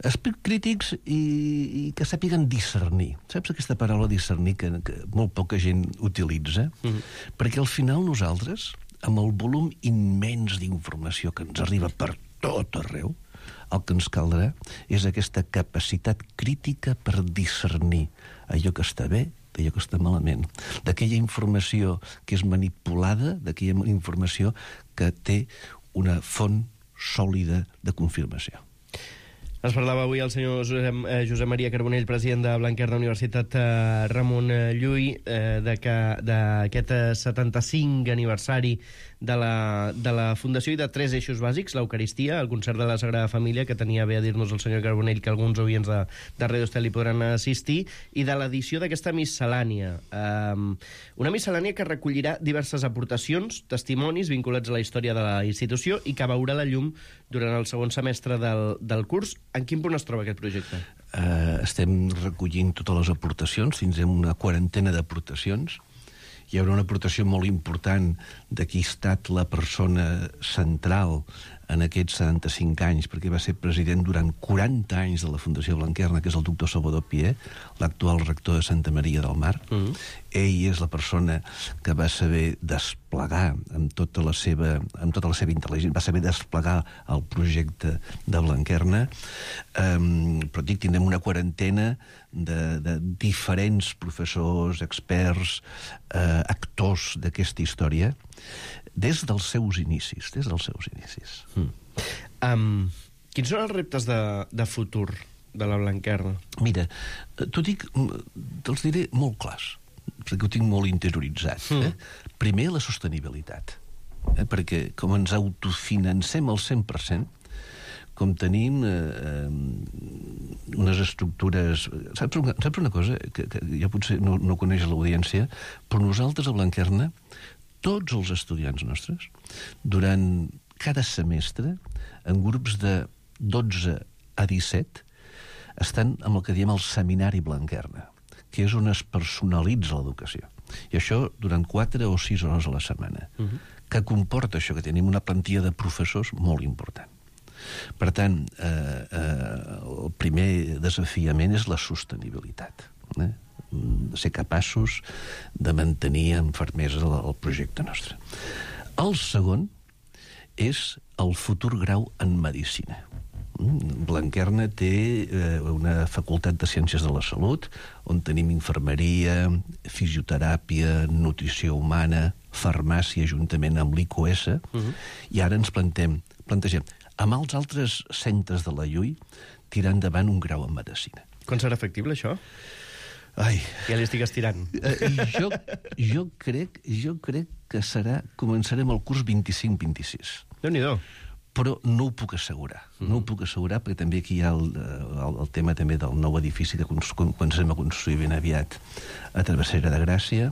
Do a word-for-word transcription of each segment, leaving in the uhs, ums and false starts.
Esperits crítics i, i que sàpiguen discernir. Saps aquesta paraula discernir que, que molt poca gent utilitza? Mm-hmm. Perquè al final nosaltres, amb el volum immens d'informació que ens arriba per tot arreu, el que ens caldrà és aquesta capacitat crítica per discernir allò que està bé d'allò que està malament, d'aquella informació que és manipulada, d'aquella informació que té una font sòlida de confirmació. Ens parlava avui el senyor Josep, eh, Josep Maria Carbonell, president de Blanquerna Universitat eh, Ramon Llull, eh, d'aquest setanta-cinc aniversari de la, de la Fundació i de tres eixos bàsics, l'Eucaristia, el concert de la Sagrada Família, que tenia bé a dir-nos el senyor Carbonell que alguns oients de, de Radio Estel hi podran assistir, i de l'edició d'aquesta miscel·lània. Um, una miscel·lània que recollirà diverses aportacions, testimonis vinculats a la història de la institució i que veurà la llum durant el segon semestre del, del curs. En quin punt es troba aquest projecte? Uh, estem recollint totes les aportacions, fins a una quarantena d'aportacions. Hi haurà una aportació molt important de qui ha estat la persona central en aquests setanta-cinc anys, perquè va ser president durant quaranta anys de la Fundació Blanquerna, que és el doctor Salvador Pié, l'actual rector de Santa Maria del Mar. Mm. Ell és la persona que va saber desplegar amb tota la seva, amb tota la seva intel·ligència, va saber desplegar el projecte de Blanquerna. Um, però dic, tindrem una quarantena de, de diferents professors, experts, eh, actors d'aquesta història, des dels seus inicis, des dels seus inicis. Mm. Um, quins són els reptes de, de futur de la Blanquerna? Mira, t'ho dic, te'ls diré molt clars, perquè ho tinc molt interioritzat. Mm. Eh? Primer, la sostenibilitat. Eh? Perquè com ens autofinancem al cent per cent, com tenim eh, unes estructures... Saps una, saps una cosa? Que, que ja potser no, no coneix l'audiència, però nosaltres a Blanquerna, tots els estudiants nostres, durant cada semestre, en grups de dotze a disset, estan amb el que diem el Seminari Blanquerna, que és on es personalitza l'educació. I això durant quatre o sis hores a la setmana. Uh-huh. Que comporta això, que tenim una plantilla de professors molt important. Per tant, eh, eh, el primer desafiament és la sostenibilitat. Eh? Ser capaços de mantenir amb fermesa el, el projecte nostre. El segon és el futur grau en medicina. Blanquerna té eh, una facultat de Ciències de la Salut, on tenim infermeria, fisioteràpia, nutrició humana, farmàcia, juntament amb l'I C U S, uh-huh. I ara ens plantem, plantegem amb els altres centres de la L U I tirar endavant un grau en medicina. Quan serà factible, això? Ai. Ja li estic estirant. Uh, jo, jo, crec, jo crec que serà... Començarem el curs vint-i-cinc vint-i-sis. Déu-n'hi-do. Però no ho puc assegurar. Mm. No ho puc assegurar perquè també aquí hi ha el, el, el tema també del nou edifici que comencem a construir ben aviat a Travessera de Gràcia.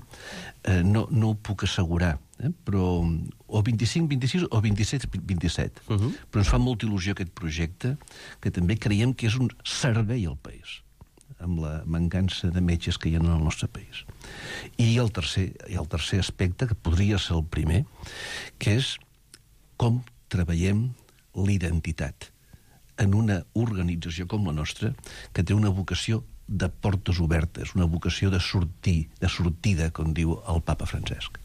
Eh, no, no ho puc assegurar, eh? Però o vint-i-cinc vint-i-sis o vint-i-set vint-i-set. Uh-huh. Però ens fa molta il·lusió aquest projecte, que també creiem que és un servei al país, amb la mancança de metges que hi ha en el nostre país. I el tercer, i el tercer aspecte, que podria ser el primer, que és com treballem l'identitat en una organització com la nostra, que té una vocació de portes obertes, una vocació de sortir, de sortida, com diu el papa Francesc.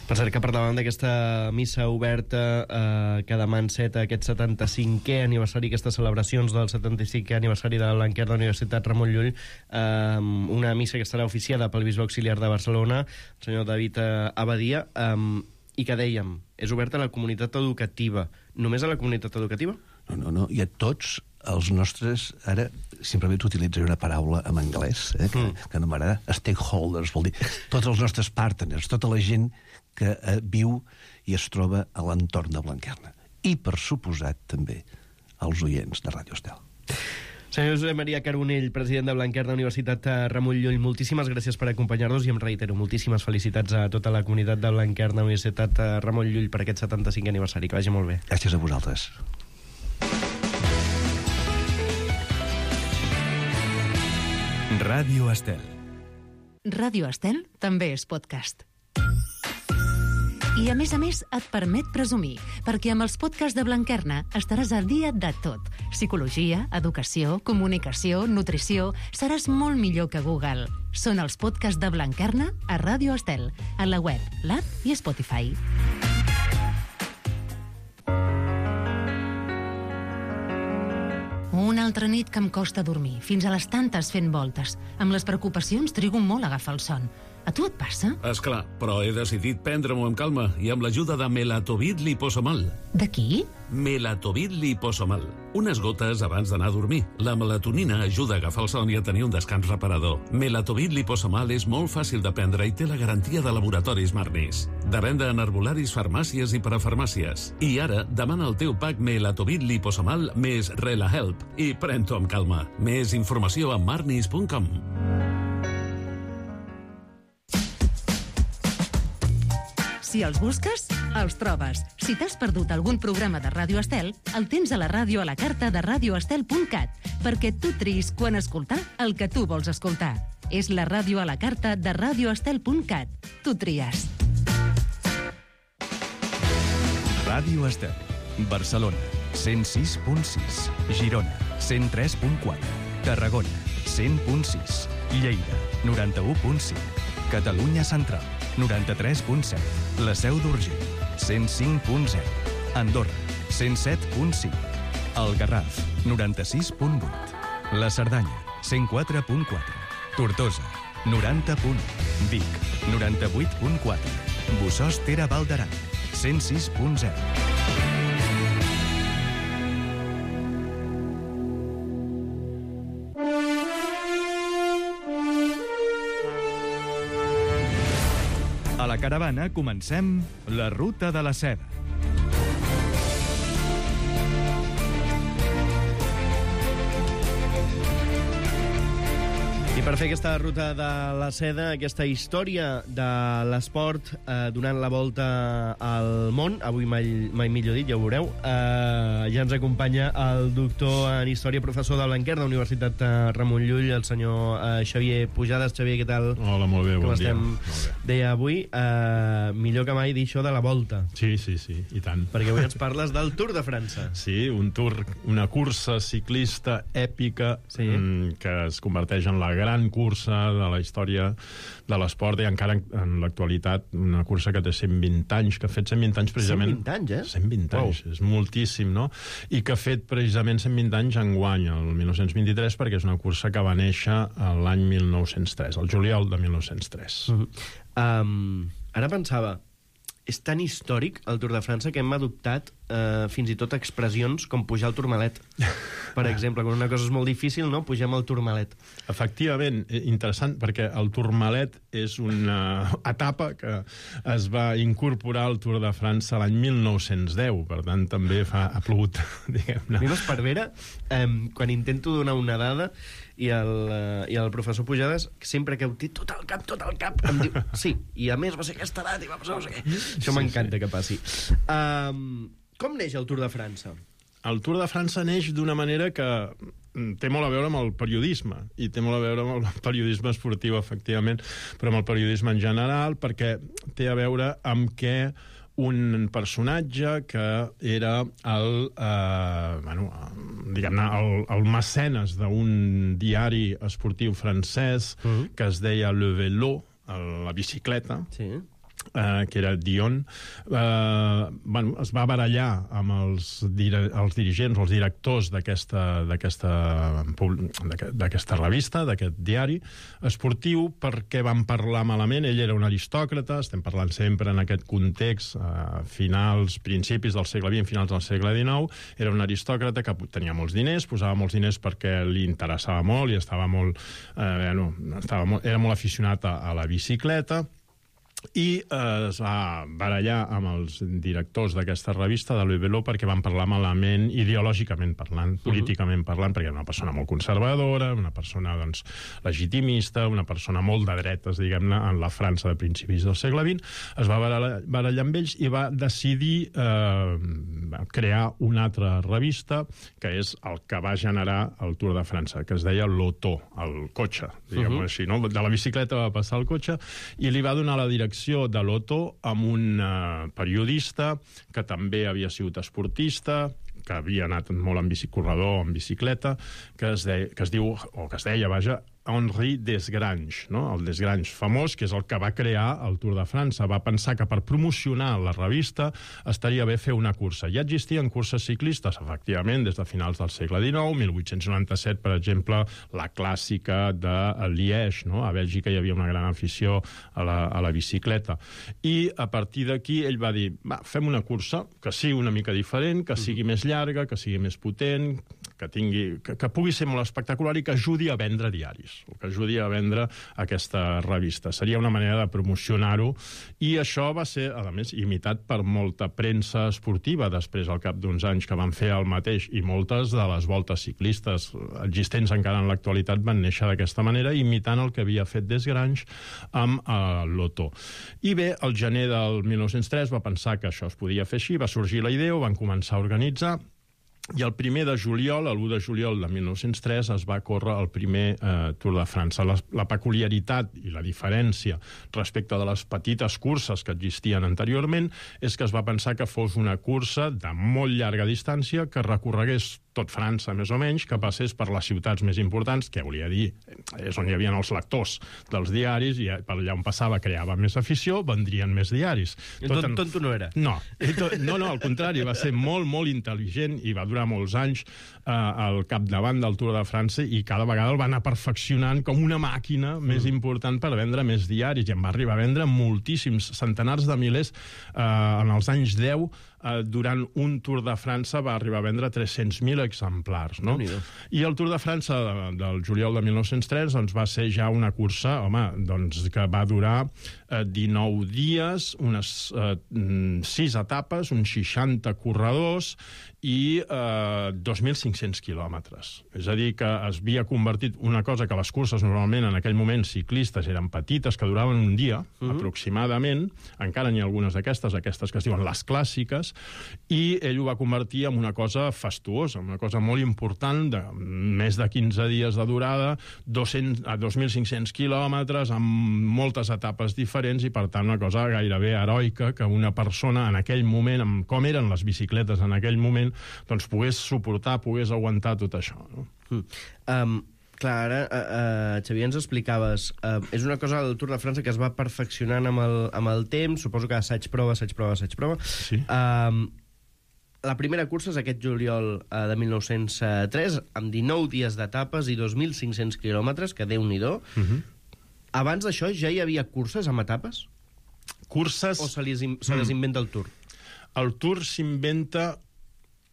Per cert, que parlàvem d'aquesta missa oberta eh, que demà enceta aquest setanta-cinquè aniversari, aquestes celebracions del setanta-cinquè aniversari de la Blanquerna Universitat Ramon Llull, eh, una missa que estarà oficiada pel bisbe auxiliar de Barcelona, el senyor David eh, Abadia, eh, i que dèiem, és oberta a la comunitat educativa. Només a la comunitat educativa? No, no, no, i a tots els nostres... Ara, simplement utilitzaré una paraula en anglès, eh, que, mm. que no m'agrada, stakeholders, vol dir tots els nostres partners, tota la gent que eh, viu i es troba a l'entorn de Blanquerna. I, per suposat, també els oients de Ràdio Estel. Senyor Josep Maria Carbonell, president de Blanquerna Universitat Ramon Llull, moltíssimes gràcies per acompanyar-nos i em reitero, moltíssimes felicitats a tota la comunitat de Blanquerna Universitat Ramon Llull per aquest setanta-cinquè aniversari. Que vagi molt bé. Gràcies a vosaltres. Ràdio Estel. Ràdio Estel també és podcast. I a més a més et permet presumir, perquè amb els podcasts de Blanquerna estaràs al dia de tot. Psicologia, educació, comunicació, nutrició... Seràs molt millor que Google. Són els podcasts de Blanquerna a Ràdio Estel, a la web, l'app i Spotify. Una altra nit que em costa dormir, fins a les tantes fent voltes. Amb les preocupacions trigo molt a agafar el son. A tu et passa? Esclar, però he decidit prendre-m'ho amb calma i amb l'ajuda de Melatovit Liposomal. De qui? Melatovit Liposomal. Unes gotes abans d'anar a dormir. La melatonina ajuda a agafar el son i a tenir un descans reparador. Melatovit Liposomal és molt fàcil de prendre i té la garantia de laboratoris Marnis. De venda en herbolaris, farmàcies i parafarmàcies. I ara, demana el teu pack Melatovit Liposomal més RelaHelp i pren-t'ho amb calma. Més informació a marnis punt com. Si els busques, els trobes. Si t'has perdut algun programa de Ràdio Estel, el tens a la ràdio a la carta de radio estel punt cat, perquè tu triïs quan escoltar el que tu vols escoltar. És la ràdio a la carta de radio estel punt cat. Tu tries. Ràdio Estel, Barcelona, cent sis punt sis. Girona, cent tres punt quatre. Tarragona, cent punt sis. Lleida, noranta-u punt cinc. Catalunya Central, noranta-tres punt set. La Seu d'Urgell, cent cinc punt zero. Andorra, cent set punt cinc. El Garraf, noranta-sis punt vuit. La Cerdanya, cent quatre punt quatre. Tortosa, noranta punt u. Vic, noranta-vuit punt quatre. Bossòst Tere Val d'Aran, cent sis punt zero. A la caravana comencem la Ruta de la Seda. I per fer aquesta ruta de la seda, aquesta història de l'esport eh, donant la volta al món, avui mai, mai millor dit, ja ho veureu, eh, ja ens acompanya el doctor en història, professor de Blanquerna, Universitat Ramon Llull, el senyor eh, Xavier Pujades. Xavier, què tal? Hola, molt bé, Com bon estem? dia. Molt bé. Deia avui, eh, millor que mai dir això de la volta. Sí, sí, sí, i tant. Perquè avui ens parles del Tour de França. Sí, un tour, una cursa ciclista èpica Sí. mm, que es converteix en la gran cursa de la història de l'esport i encara en, en l'actualitat una cursa que té cent vint anys, que ha fet cent vint anys precisament... cent vint anys, eh? cent vint anys, wow. És moltíssim, no? I que ha fet precisament cent vint anys enguany, el mil nou-cents vint-i-tres, perquè és una cursa que va néixer l'any mil nou-cents tres, el juliol de mil nou-cents tres. Mm-hmm. Um, ara pensava, és tan històric el Tour de França que hem adoptat eh, fins i tot expressions com pujar al Tourmalet. Per exemple, quan una cosa és molt difícil, no? Pugem al Tourmalet. Efectivament, interessant, perquè el Tourmalet és una etapa que es va incorporar al Tour de França l'any mil nou-cents deu, per tant també fa, ha plogut, diguem-ne. A mi m'esparvera, eh, quan intento donar una dada i el, eh, i el professor Pujades, sempre que ho té tot al cap, tot al cap, em diu, sí, i a més va ser aquesta edat i va passar no sé què. Això Sí, m'encanta sí. que passi. Um, com neix el Tour de França? El Tour de França neix d'una manera que té molt a veure amb el periodisme, i té molt a veure amb el periodisme esportiu, efectivament, però amb el periodisme en general, perquè té a veure amb què un personatge que era el, eh, bueno, diguem-ne, el, el mecenes d'un diari esportiu francès Mm. que es deia Le Vélo, la bicicleta, Sí. Uh, que era Dion, uh, bueno, es va barallar amb els, dire, els dirigents, els directors d'aquesta d'aquesta d'aquesta revista, d'aquest diari esportiu, perquè van parlar malament. Ell era un aristòcrata, estem parlant sempre en aquest context, uh, finals, principis del segle vint, finals del segle dinou, era un aristòcrata que tenia molts diners, posava molts diners perquè li interessava molt i estava molt, uh, bueno, estava molt, era molt aficionat a, a la bicicleta, i eh, es va barallar amb els directors d'aquesta revista de Le Vélo perquè van parlar malament, ideològicament parlant, políticament parlant, perquè era una persona molt conservadora, una persona doncs, legitimista, una persona molt de dretes, diguem-ne, en la França de principis del segle vint. Es va barallar, barallar amb ells i va decidir eh, crear una altra revista, que és el que va generar el Tour de França, que es deia l'Auto, el cotxe, diguem-ho uh -huh. així, no? De la bicicleta va passar al cotxe, i li va donar la direcció direcció de l'Otto amb un uh, periodista que també havia sigut esportista, que havia anat molt en bicicorredor, en bicicleta, que es, de, que es diu, o que es deia, vaja, Henri Desgrange, no? El Desgrange famós, que és el que va crear el Tour de França. Va pensar que per promocionar la revista estaria bé fer una cursa. Ja existien curses ciclistes, efectivament, des de finals del segle dinou, mil vuit-cents noranta-set, per exemple, la clàssica de Liège, no? A Bèlgica hi havia una gran afició a la, a la bicicleta. I a partir d'aquí ell va dir, va, fem una cursa que sigui una mica diferent, que sigui més llarga, que sigui més potent, que, tingui, que, que pugui ser molt espectacular i que ajudi a vendre diaris, o que ajudi a vendre aquesta revista. Seria una manera de promocionar-ho, i això va ser, a més, imitat per molta premsa esportiva després, al cap d'uns anys, que van fer el mateix, i moltes de les voltes ciclistes existents encara en l'actualitat van néixer d'aquesta manera, imitant el que havia fet Desgrange amb uh, l'Otto. I bé, el gener del mil nou-cents tres va pensar que això es podia fer així, va sorgir la idea, ho van començar a organitzar, i el primer de juliol, l'u de juliol de mil nou-cents tres, es va córrer el primer eh, Tour de França. La, la peculiaritat i la diferència respecte de les petites curses que existien anteriorment és que es va pensar que fos una cursa de molt llarga distància que recorregués tot França, més o menys, que passés per les ciutats més importants, que volia dir, és on hi havia els lectors dels diaris, i per allà on passava creava més afició, vendrien més diaris. Tot en... Tonto no era. No, no, no, al contrari, va ser molt, molt intel·ligent i va durar molts anys eh, al capdavant del Tour de França, i cada vegada el va anar perfeccionant com una màquina mm. més important per vendre més diaris, i en va arribar a vendre moltíssims, centenars de milers eh, en els anys deu. Uh, durant un Tour de França va arribar a vendre tres-cents mil exemplars, no? I el Tour de França de, del juliol de mil nou-cents tres doncs, va ser ja una cursa, home, doncs, que va durar uh, dinou dies, unes uh, sis etapes, uns seixanta corredors i uh, dos mil cinc-cents quilòmetres. És a dir, que es havia convertit una cosa que les curses normalment en aquell moment ciclistes eren petites, que duraven un dia, uh-huh. aproximadament, encara n'hi ha algunes d'aquestes, aquestes que es diuen les clàssiques, i ell ho va convertir en una cosa fastuosa, una cosa molt important, de més de quinze dies de durada, dos-cents a dos mil cinc-cents quilòmetres, amb moltes etapes diferents, i per tant una cosa gairebé heroica que una persona en aquell moment, amb com eren les bicicletes en aquell moment, doncs pogués suportar, pogués aguantar tot això. No? Mm. Um... Clar, ara, uh, uh, Xavier, ens explicaves, uh, és una cosa del Tour de França que es va perfeccionant amb el, amb el temps, suposo que assaig-prova, assaig-prova, assaig-prova. Sí. Uh, la primera cursa és aquest juliol uh, de mil nou-cents tres, amb dinou dies d'etapes i dos mil cinc-cents quilòmetres, que Déu-n'hi-do. Uh-huh. Abans d'això ja hi havia curses amb etapes? Curses... O se les, se les inventa el Tour? El Tour s'inventa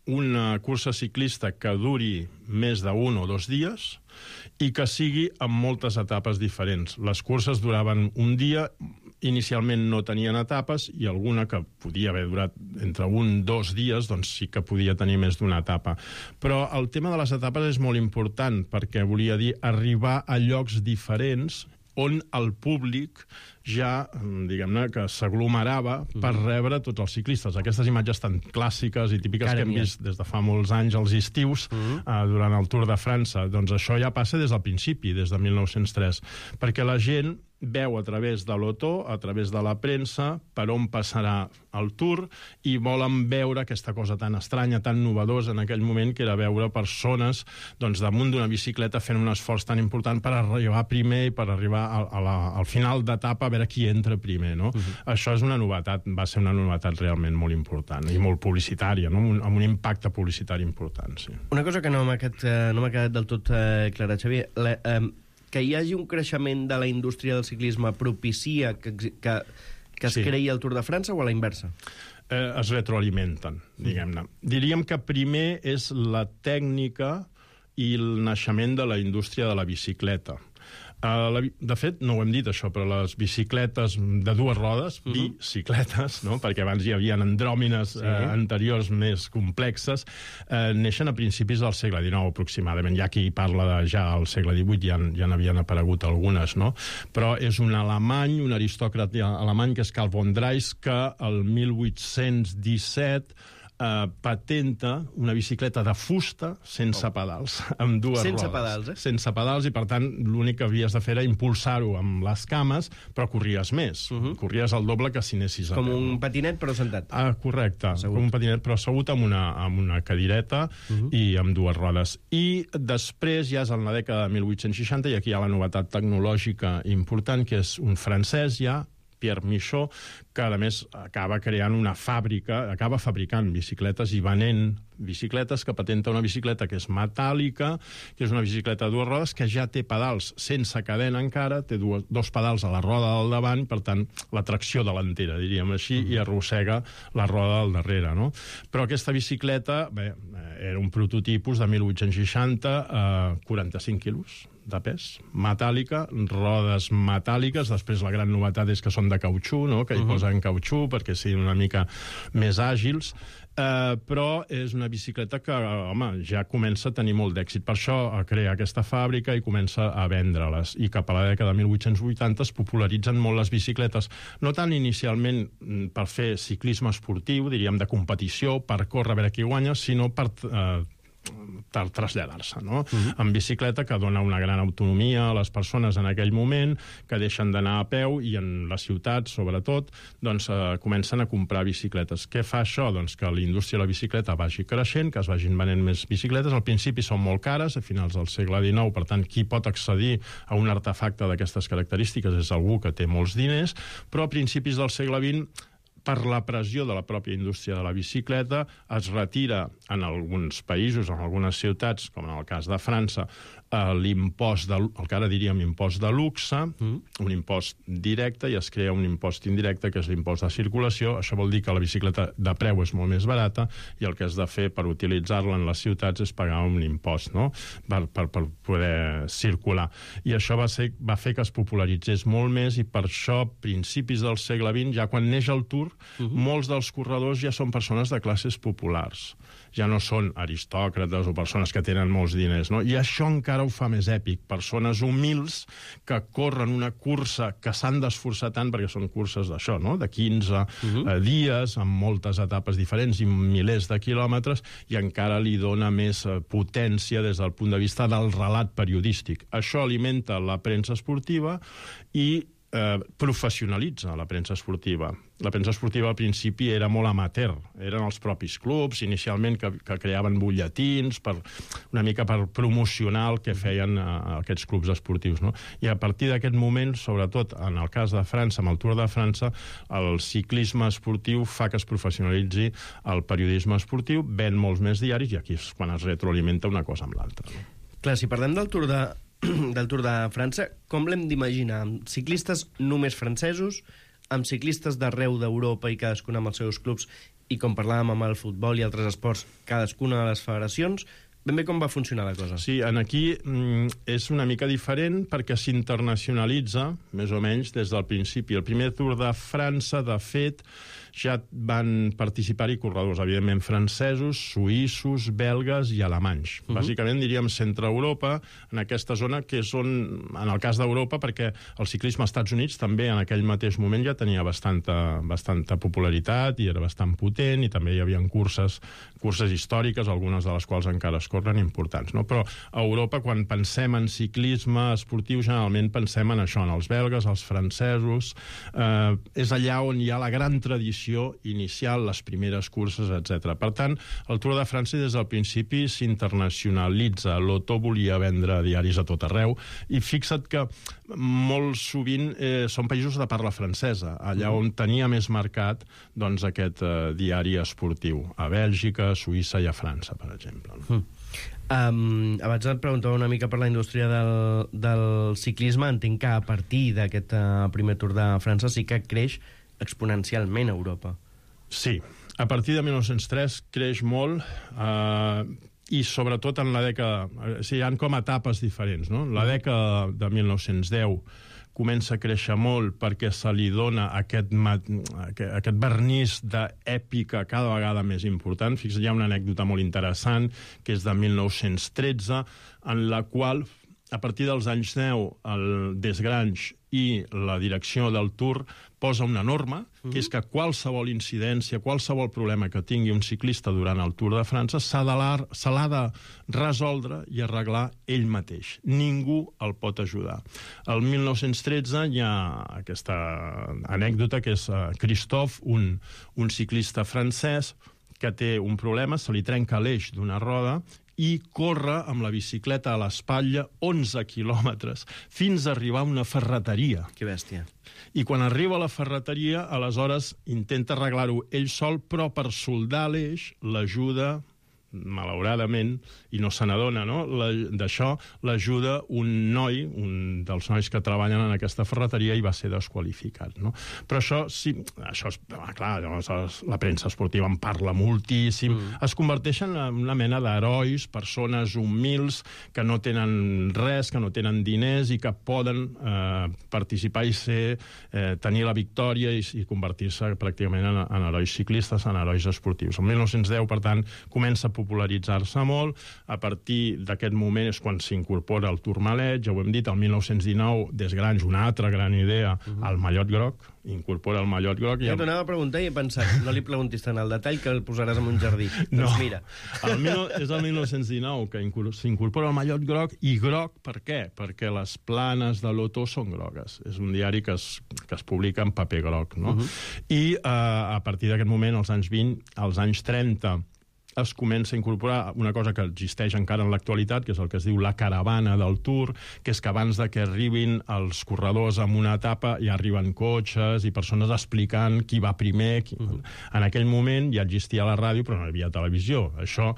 una cursa ciclista que duri més d'un o dos dies i que sigui amb moltes etapes diferents. Les curses duraven un dia, inicialment no tenien etapes, i alguna que podia haver durat entre un o dos dies, doncs sí que podia tenir més d'una etapa. Però el tema de les etapes és molt important, perquè volia dir arribar a llocs diferents on el públic ja, diguem-ne, que s'aglomerava per rebre tots els ciclistes. Aquestes imatges tan clàssiques i típiques que hem vist des de fa molts anys als estius, uh-huh. eh, durant el Tour de França, doncs això ja passa des del principi, des de mil nou-cents tres, perquè la gent veu a través de l'Otto, a través de la premsa, per on passarà el Tour, i volen veure aquesta cosa tan estranya, tan novedosa en aquell moment, que era veure persones doncs, damunt d'una bicicleta fent un esforç tan important per arribar primer i per arribar a, a la, al final d'etapa a veure qui entra primer, no? Uh-huh. Això és una novetat, va ser una novetat realment molt important i molt publicitària, no? Un, amb un impacte publicitari important, sí. Una cosa que no m'ha quedat, no m'ha quedat del tot eh, clara, Xavier, la, eh, que hi hagi un creixement de la indústria del ciclisme propicia que, que, que es sí. creï el Tour de França, o a la inversa? Eh, es retroalimenten, diguem-ne. Diríem que primer és la tècnica i el naixement de la indústria de la bicicleta. Uh, la, de fet, no ho hem dit això, però les bicicletes de dues rodes, uh -huh. bicicletes, no? Perquè abans hi havia andròmines sí. uh, anteriors més complexes, uh, neixen a principis del segle dinou aproximadament. Hi ha qui parla de ja al segle divuit, ja, ja n'havien aparegut algunes, no? Però és un alemany, un aristòcrata alemany, que és Karl von Drais, que el mil vuit-cents disset eh, patenta una bicicleta de fusta sense oh. pedals, amb dues sense rodes. pedals, eh? Sense pedals, i per tant l'únic que havies de fer era impulsar-ho amb les cames, però corries més. Uh -huh. Corries el doble que si anessis a Com peu. un patinet, però sentat. Ah, correcte, assegut. Com un patinet, però assegut amb una, amb una cadireta uh -huh. i amb dues rodes. I després ja és en la dècada de mil vuit-cents seixanta, i aquí hi ha la novetat tecnològica important, que és un francès ja, Pierre Michaud, que a més acaba creant una fàbrica, acaba fabricant bicicletes i venent bicicletes, que patenta una bicicleta que és metàl·lica, que és una bicicleta de dues rodes, que ja té pedals sense cadena encara, té dues, dos pedals a la roda del davant, per tant, la tracció delantera, diríem així, mm. i arrossega la roda del darrere, no? Però aquesta bicicleta, bé, era un prototipus de mil vuit-cents seixanta, eh, quaranta-cinc quilos de pes, metàl·lica, rodes metàl·liques, després la gran novetat és que són de cautxú, no? Que hi uh -huh. posen cautxú perquè siguin una mica més àgils, eh, però és una bicicleta que, home, ja comença a tenir molt d'èxit. Per això a crear aquesta fàbrica i comença a vendre-les. I cap a la dècada de mil vuit-cents vuitanta es popularitzen molt les bicicletes, no tant inicialment per fer ciclisme esportiu, diríem de competició, per córrer a veure qui guanya, sinó per eh, per traslladar-se, no? Uh-huh. En bicicleta, que dona una gran autonomia a les persones en aquell moment, que deixen d'anar a peu, i en les ciutats, sobretot, doncs eh, comencen a comprar bicicletes. Què fa això? Doncs que la indústria de la bicicleta vagi creixent, que es vagin venent més bicicletes. Al principi són molt cares, a finals del segle dinou, per tant, qui pot accedir a un artefacte d'aquestes característiques és algú que té molts diners, però a principis del segle vint, per la pressió de la pròpia indústria de la bicicleta, es retira en alguns països, en algunes ciutats, com en el cas de França, l'impost, de, el que ara diríem impost de luxe, mm. un impost directe, i es crea un impost indirecte, que és l'impost de circulació. Això vol dir que la bicicleta de preu és molt més barata, i el que has de fer per utilitzar-la en les ciutats és pagar un impost, no? per, per, per poder circular. I això va, ser, va fer que es popularitzés molt més, i per això, a principis del segle vint, ja quan neix el Tour, uh-huh. molts dels corredors ja són persones de classes populars. Ja no són aristòcrates o persones que tenen molts diners, no? I això encara ho fa més èpic. Persones humils que corren una cursa que s'han d'esforçar tant, perquè són curses d'això, no? De quinze uh-huh. eh, dies, amb moltes etapes diferents i milers de quilòmetres, i encara li dona més eh, potència des del punt de vista del relat periodístic. Això alimenta la premsa esportiva i Eh, professionalitza la premsa esportiva. La premsa esportiva al principi era molt amateur, eren els propis clubs, inicialment que, que creaven butlletins, per, una mica per promocionar el que feien eh, aquests clubs esportius, no? I a partir d'aquest moment, sobretot en el cas de França, amb el Tour de França, el ciclisme esportiu fa que es professionalitzi el periodisme esportiu, ven molts més diaris, i aquí és quan es retroalimenta una cosa amb l'altra, no? Clar, si parlem del Tour de del Tour de França, com l'hem d'imaginar? Amb ciclistes només francesos, amb ciclistes d'arreu d'Europa i cadascun amb els seus clubs, i com parlàvem amb el futbol i altres esports, cadascuna de les federacions, ben bé com va funcionar la cosa? Sí, en aquí mm, és una mica diferent perquè s'internacionalitza, més o menys, des del principi. El primer Tour de França, de fet, ja van participar-hi corredors, evidentment, francesos, suïssos, belgues i alemanys. Uh-huh. Bàsicament, diríem, centre-Europa, en aquesta zona, que és on, en el cas d'Europa, perquè el ciclisme als Estats Units també en aquell mateix moment ja tenia bastanta, bastanta popularitat i era bastant potent, i també hi havia curses, curses històriques, algunes de les quals encara es corren, importants, no? Però a Europa, quan pensem en ciclisme esportiu, generalment pensem en això, en els belgues, els francesos, eh, és allà on hi ha la gran tradició inicial, les primeres curses, etcètera. Per tant, el Tour de França des del principi s'internacionalitza. L'Otto volia vendre diaris a tot arreu, i fixa't que molt sovint eh, són països de parla francesa, allà on tenia més mercat, doncs, aquest eh, diari esportiu, a Bèlgica, a Suïssa i a França, per exemple. Mm. Um, abans et preguntava una mica per la indústria del, del ciclisme. Entenc que a partir d'aquest uh, primer Tour de França sí que creix exponencialment a Europa. Sí, a partir de mil nou-cents tres creix molt, eh, i sobretot en la dècada... O sigui, hi ha com etapes diferents, no? La dècada de mil nou-cents deu comença a créixer molt perquè se li dona aquest, aquest vernís d'èpica cada vegada més important. Fixa't, hi ha una anècdota molt interessant, que és de mil nou-cents tretze, en la qual a partir dels anys deu, el Desgrange i la direcció del Tour posa una norma, uh-huh. que és que qualsevol incidència, qualsevol problema que tingui un ciclista durant el Tour de França se l'ha de resoldre i arreglar ell mateix. Ningú el pot ajudar. El mil nou-cents tretze hi ha aquesta anècdota que és Christophe, un, un ciclista francès, que té un problema, se li trenca l'eix d'una roda i corre amb la bicicleta a l'espatlla onze quilòmetres fins a arribar a una ferreteria. Que bèstia. I quan arriba a la ferreteria, aleshores intenta arreglar-ho ell sol, però per soldar l'eix l'ajuda, malauradament, i no se n'adona, no? D'això l'ajuda un noi, un dels nois que treballen en aquesta ferreteria, i va ser desqualificat, no? Però això, sí, això és, clar, la premsa esportiva en parla moltíssim, mm. es converteixen en una mena d'herois, persones humils, que no tenen res, que no tenen diners, i que poden eh, participar i ser, eh, tenir la victòria i, i convertir-se pràcticament en, en herois ciclistes, en herois esportius. El mil nou-cents deu, per tant, comença a popularitzar-se molt. A partir d'aquest moment és quan s'incorpora el Tourmalet, ja ho hem dit, el mil nou-cents dinou, Desgrange, una altra gran idea, uh-huh. el mallot groc, incorpora el mallot groc. Ja t'anava a preguntar i he pensat, no li preguntis tant al detall que el posaràs en un jardí. No. Doncs mira. El mil, és el mil nou-cents dinou que s'incorpora el mallot groc, i groc per què? Perquè les planes de l'Otó són grogues. És un diari que es, que es publica en paper groc, no? Uh-huh. I eh, a partir d'aquest moment, als anys vint, als anys trenta, es comença a incorporar una cosa que existeix encara en l'actualitat, que és el que es diu la caravana del Tour, que és que abans de que arribin els corredors en una etapa ja arriben cotxes i persones explicant qui va primer. Qui... Uh-huh. En aquell moment ja existia la ràdio, però no hi havia televisió. Això,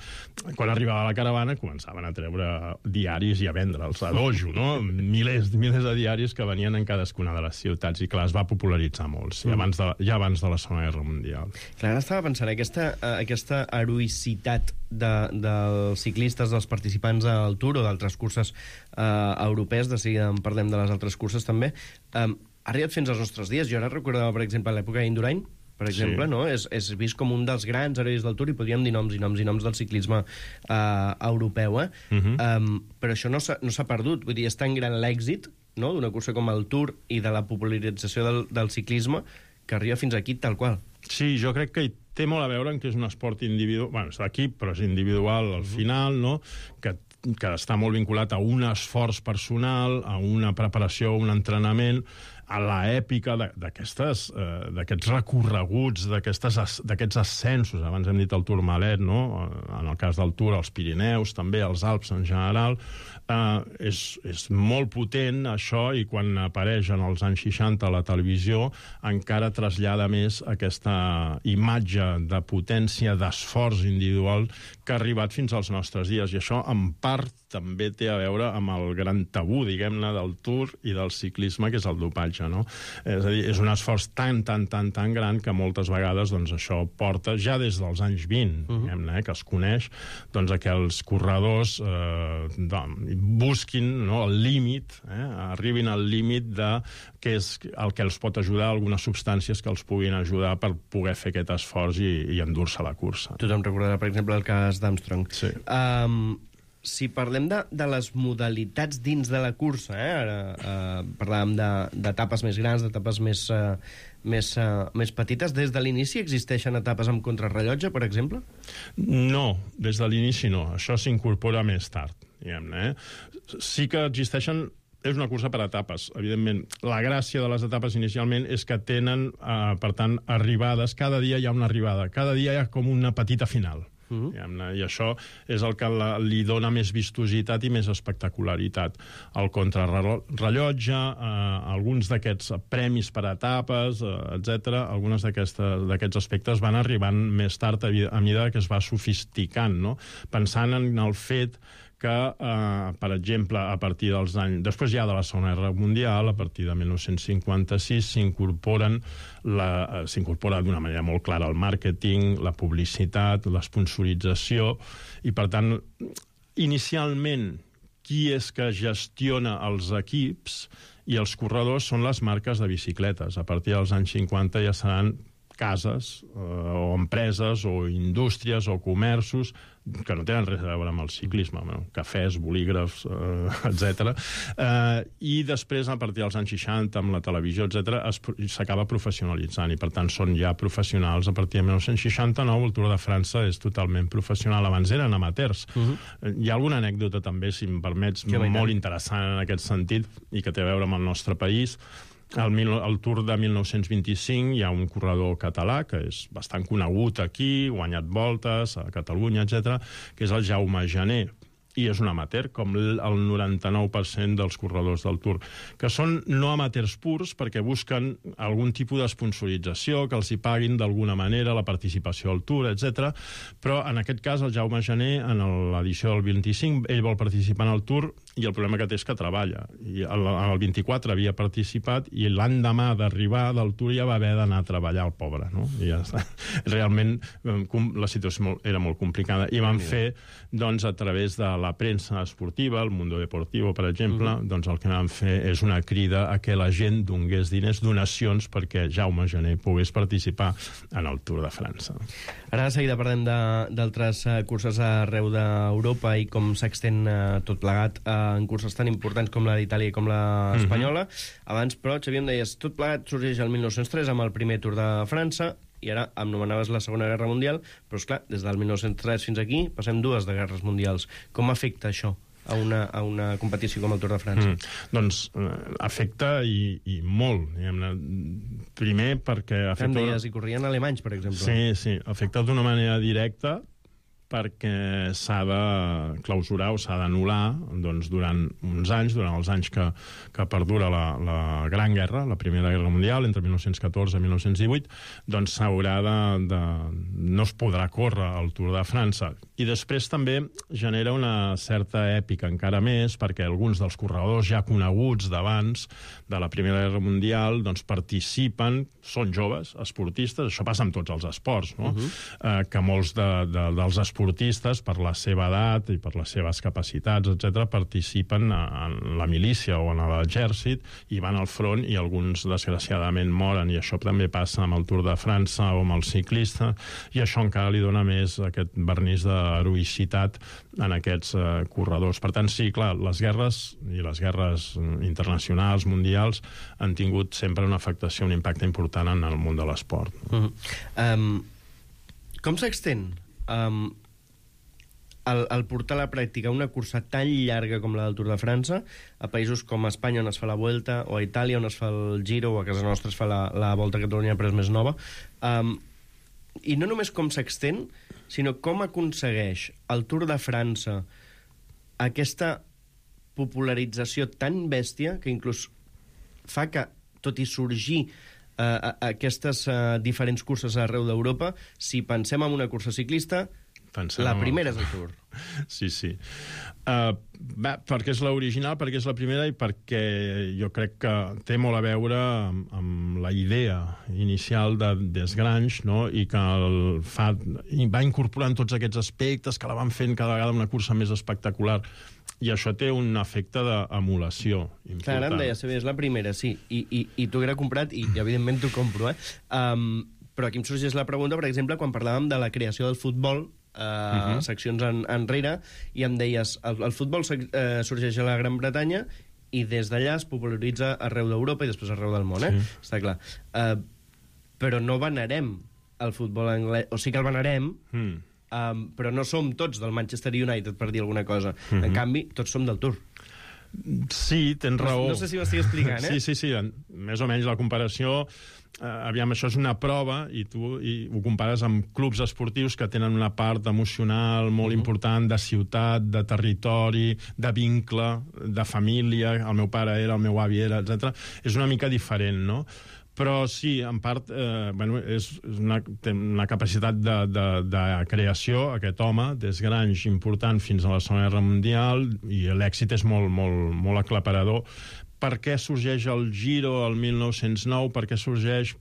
quan arribava la caravana, començaven a treure diaris i a vendre'ls a dojo, no? Milers, milers de diaris que venien en cadascuna de les ciutats, i clar, es va popularitzar molt, sí, uh-huh. abans de, ja abans de la Segona Guerra Mundial. Clar, ara estava pensant, aquesta, aquesta heroïcitat De, dels ciclistes, dels participants al Tour o d'altres curses eh, europees, de seguida en parlem de les altres curses també, eh, ha arribat fins als nostres dies. Jo ara recordava, per exemple, l'època d'Indurain, per exemple, sí. no? És, és vist com un dels grans herois del Tour, i podríem dir noms i noms i noms del ciclisme eh, europeu, eh? Uh-huh. um, però això no s'ha no s'ha perdut. Vull dir, és tan gran l'èxit, no?, d'una cursa com el Tour i de la popularització del, del ciclisme, que arriba fins aquí tal qual. Sí, jo crec que hi té molt a veure en que és un esport individual, bueno, és d'equip, però és individual al final, no?, que, que està molt vinculat a un esforç personal, a una preparació, un entrenament, a l'èpica d'aquests eh, recorreguts, d'aquests ascensos. Abans hem dit el Tourmalet, no?, en el cas del Tour, els Pirineus, també els Alps en general. Eh, és, és molt potent, això, i quan apareix en els anys seixanta a la televisió, encara trasllada més aquesta imatge de potència, d'esforç individual que ha arribat fins als nostres dies. I això, en part, també té a veure amb el gran tabú, diguem-ne, del Tour i del ciclisme, que és el dopatge, no? És a dir, és un esforç tan, tan, tan, tan gran que moltes vegades, doncs, això porta, ja des dels anys vint, uh-huh. diguem-ne, eh, que es coneix, doncs, que els corredors eh, doncs, busquin, no?, el límit, eh, arribin al límit de què és el que els pot ajudar, algunes substàncies que els puguin ajudar per poder fer aquest esforç i, i endur-se la cursa. Tothom recordarà, per exemple, el cas d'Armstrong. Sí. Um, si parlem de, de les modalitats dins de la cursa, eh? Ara uh, parlàvem d'etapes més grans, d'etapes més, uh, més, uh, més petites. Des de l'inici existeixen etapes amb contrarrellotge, per exemple? No, des de l'inici no. Això s'incorpora més tard, diguem-ne. Eh? Sí que existeixen... És una cursa per etapes, evidentment. La gràcia de les etapes inicialment és que tenen, eh, per tant, arribades. Cada dia hi ha una arribada. Cada dia hi ha com una petita final. Uh-huh. I això és el que la, li dona més vistositat i més espectacularitat. El contrarrellotge, eh, alguns d'aquests premis per etapes, eh, etcètera, alguns d'aquests aspectes van arribant més tard a, a mesura que es va sofisticant, no? Pensant en el fet que, eh, per exemple, a partir dels anys... Després ja de la Segona Guerra Mundial, a partir de mil nou-cents cinquanta-sis, s'incorporen la, s'incorpora d'una manera molt clara el màrqueting, la publicitat, l'esponsorització, i, per tant, inicialment, qui és que gestiona els equips i els corredors són les marques de bicicletes. A partir dels anys cinquanta ja seran cases eh, o empreses o indústries o comerços que no tenen res a veure amb el ciclisme, bueno, cafès, bolígrafs, eh, etcètera. Eh, I després, a partir dels anys seixanta, amb la televisió, etcètera, s'acaba professionalitzant i, per tant, són ja professionals. A partir de dinou seixanta-nou, el Tour de França és totalment professional. Abans eren amateurs. Uh -huh. Hi ha alguna anècdota, també, si em permets, que molt interessant en aquest sentit i que té a veure amb el nostre país. Al el Tour de dinou vint-i-cinc hi ha un corredor català que és bastant conegut aquí, guanyat voltes a Catalunya, etcètera, que és el Jaume Jané, i és un amateur, com el noranta-nou per cent dels corredors del Tour, que són no amateurs purs perquè busquen algun tipus d'esponsorització, que els hi paguin d'alguna manera la participació al Tour, etcètera. Però en aquest cas, el Jaume Jané, en l'edició del vint-i-cinc, ell vol participar en el Tour i el problema que té és que treballa. I el, el vint-i-quatre havia participat i l'endemà d'arribar del Tour ja va haver d'anar a treballar, el pobre, no? I ja està. Realment la situació era molt complicada. I van fer, doncs, a través de la premsa esportiva, el Mundo Deportivo, per exemple, mm. doncs el que van fer és una crida a que la gent donés diners, donacions, perquè Jaume Jané pogués participar en el Tour de França. Ara de seguida parlem d'altres uh, curses arreu d'Europa i com s'extén uh, tot plegat uh, en curses tan importants com la d'Itàlia i com la espanyola. Mm-hmm. Abans, però, Xavier, em deies, tot plegat sorgeix el mil nou-cents tres amb el primer Tour de França, i ara em nomenaves la Segona Guerra Mundial, però, esclar, des del mil nou-cents tres fins aquí passem dues de guerres mundials. Com afecta això a una, a una competició com el Tour de França? Mm, doncs eh, afecta i, i molt. Diguem-ne. Primer perquè... Afecta... Em deies, hi corrien alemanys, per exemple. Sí, sí. Afecta d'una manera directa perquè s'ha de clausurar o s'ha d'anul·lar doncs, durant uns anys, durant els anys que, que perdura la, la Gran Guerra, la Primera Guerra Mundial, entre mil nou-cents catorze i mil nou-cents divuit, doncs s'haurà de, de... no es podrà córrer el Tour de França. I després també genera una certa èpica encara més, perquè alguns dels corredors ja coneguts d'abans de la Primera Guerra Mundial doncs participen, són joves, esportistes, això passa amb tots els esports, no? Uh-huh. eh, que molts de, de, dels esportistes esportistes, per la seva edat i per les seves capacitats, etcètera, participen en la milícia o en l'exèrcit i van al front i alguns, desgraciadament, moren. I això també passa amb el Tour de França o amb el ciclista, i això encara li dona més aquest vernís d'heroïcitat en aquests eh, corredors. Per tant, sí, clar, les guerres i les guerres internacionals, mundials, han tingut sempre una afectació, un impacte important en el món de l'esport. Uh-huh. um, com s'extén um, el, el portar a la pràctica una cursa tan llarga com la del Tour de França a països com Espanya, on es fa la Vuelta, o a Itàlia, on es fa el Giro, o a casa nostra es fa la, la Volta a Catalunya, però és més nova? Um, I no només com s'extén, sinó com aconsegueix el Tour de França aquesta popularització tan bèstia que inclús fa que, tot i sorgir uh, aquestes uh, diferents curses arreu d'Europa, si pensem en una cursa ciclista, Pensem la primera és el Tour. Sí, sí. Uh, bé, perquè és l'original, perquè és la primera i perquè jo crec que té molt a veure amb, amb la idea inicial de Desgrange, no? I que el fa, va incorporant tots aquests aspectes que la van fent cada vegada una cursa més espectacular. I això té un efecte d'emulació important. Clar, ara em deia, és la primera, sí, i, i, i t'ho haguera comprat, i, i evidentment t'ho compro, eh? Um, però aquí em sorgeix la pregunta, per exemple, quan parlàvem de la creació del futbol, Uh, uh-huh. seccions en, enrere, i em deies, el, el futbol uh, sorgeix a la Gran Bretanya i des d'allà es popularitza arreu d'Europa i després arreu del món, eh? Sí. Està clar. Uh, però no venerem el futbol anglès, o sí que el venerem, mm. um, però no som tots del Manchester United, per dir alguna cosa. Uh-huh. En canvi, tots som del Tour. Sí, tens raó. No, no sé si m'estic explicant, eh? Sí, sí, sí. Més o menys la comparació... Eh, aviam, això és una prova i tu i ho compares amb clubs esportius que tenen una part emocional molt uh-huh. important, de ciutat, de territori, de vincle, de família, el meu pare era, el meu avi era, etcètera. És una mica diferent, no? Però sí, en part, eh, bueno, és una, té una capacitat de, de, de creació, aquest home, Desgrange, important fins a la Segona Guerra Mundial, i l'èxit és molt, molt, molt aclaparador. Per què sorgeix el Giro el mil nou-cents nou? Per què sorgeix...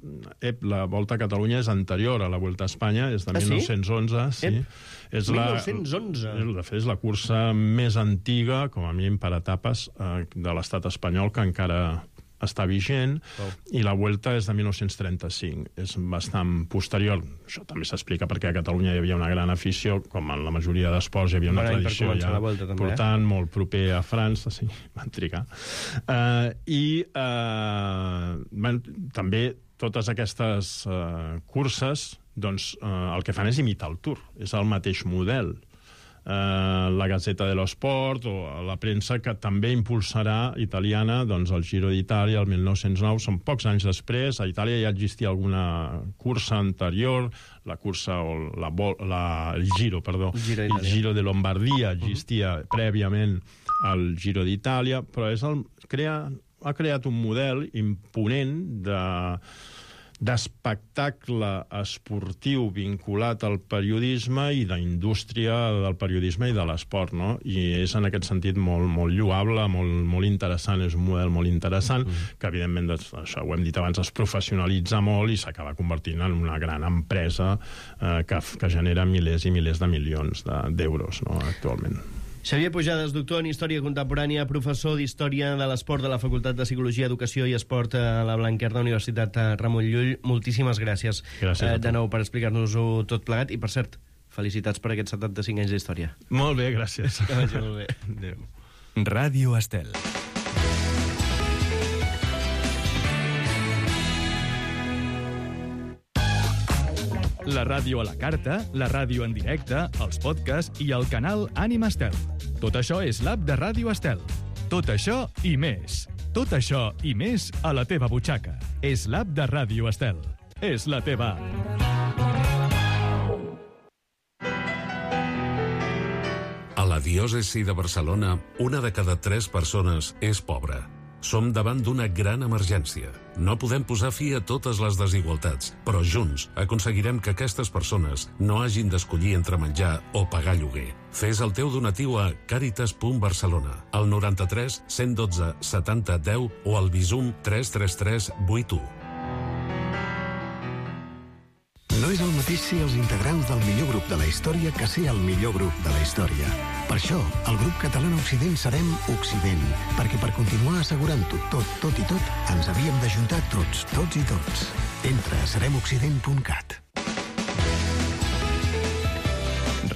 Ep, la Volta a Catalunya és anterior a la Volta a Espanya, és de ah, mil nou-cents onze. Sí? És mil nou-cents onze? La, de fet, és la cursa més antiga, com a mínim per etapes, eh, de l'estat espanyol, que encara està vigent, oh. i la Vuelta és de mil nou-cents trenta-cinc. És bastant posterior. Això també s'explica perquè a Catalunya hi havia una gran afició, com en la majoria d'esports hi havia una Bon any per tradició començar ja la Vuelta, també, portant, eh? molt proper a França, sí, van trigar. Uh, I uh, bueno, també totes aquestes uh, curses, doncs, uh, el que fan és imitar el Tour. És el mateix model. Uh, la Gazzetta dello Sport o la premsa que també impulsarà italiana doncs el Giro d'Itàlia el mil nou-cents nou, són pocs anys després. A Itàlia ja existia alguna cursa anterior, la cursa o la, la, el Giro, perdó, Giro el Giro de Lombardia existia uh-huh. prèviament al Giro d'Itàlia, però és el, crea, ha creat un model imponent de d'espectacle esportiu vinculat al periodisme i d'indústria del periodisme i de l'esport, no? I és en aquest sentit molt, molt lloable, molt, molt interessant, és un model molt interessant, mm. que evidentment, això ho hem dit abans, es professionalitza molt i s'acaba convertint en una gran empresa eh, que, que genera milers i milers de milions d'euros, no, actualment. Xavier Pujades, doctor en Història Contemporània, professor d'Història de l'Esport de la Facultat de Psicologia, Educació i Esport a la Blanquerna Universitat Ramon Llull. Moltíssimes gràcies, gràcies eh, de nou per explicar-nos-ho tot plegat. I, per cert, felicitats per aquests setanta-cinc anys d'història. Molt bé, gràcies. Que vagi molt bé. Adéu. Ràdio Estel. La ràdio a la carta, la ràdio en directe, els podcasts i el canal Ànima Estel. Tot això és l'app de Ràdio Estel. Tot això i més. Tot això i més a la teva butxaca. És l'app de Ràdio Estel. És la teva app. A la diòcesi de Barcelona, una de cada tres persones és pobra. Som davant d'una gran emergència. No podem posar fi a totes les desigualtats, però junts aconseguirem que aquestes persones no hagin d'escollir entre menjar o pagar lloguer. Fes el teu donatiu a caritas punt barcelona, al noranta-tres cent dotze setanta deu o al Bizum tres tres tres vuit u. No és el mateix ser els integrants del millor grup de la història que ser el millor grup de la història. Per això, el grup català Occident serem Occident, perquè per continuar assegurant-ho tot, tot i tot, ens havíem d'ajuntar tots, tots i tots. Entra a serem occident punt cat.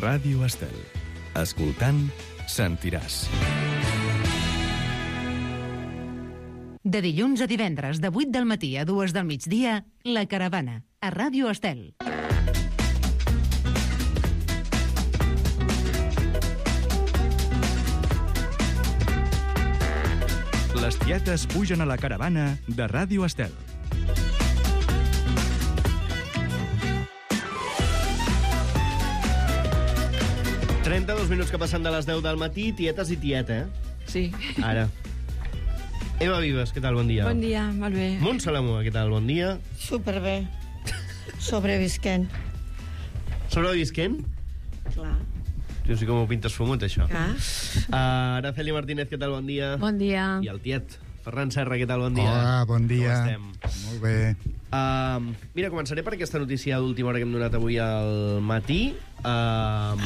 Ràdio Estel. Escoltant, sentiràs. De dilluns a divendres, de vuit del matí a dues del migdia, La Caravana, a Ràdio Estel. Les tietes pugen a la caravana de Ràdio Estel. trenta-dos minuts que passen de les deu del matí, tietes i tieta, eh? Sí. Ara. Eva Vives, què tal? Bon dia. Bon dia, molt bé. Montse Lamua, què tal? Bon dia. Superbé. Sobrevisquent. Sobrevisquent? Clar. Jo sí com ho pintes fumut, això. Clar. Uh, Araceli Martínez, què tal? Bon dia. Bon dia. I el tiet. Ferran Serra, què tal? Bon dia. Hola, bon dia. Com estem? Molt bé. Uh, mira, començaré per aquesta notícia d'última hora que hem donat avui al matí. Uh,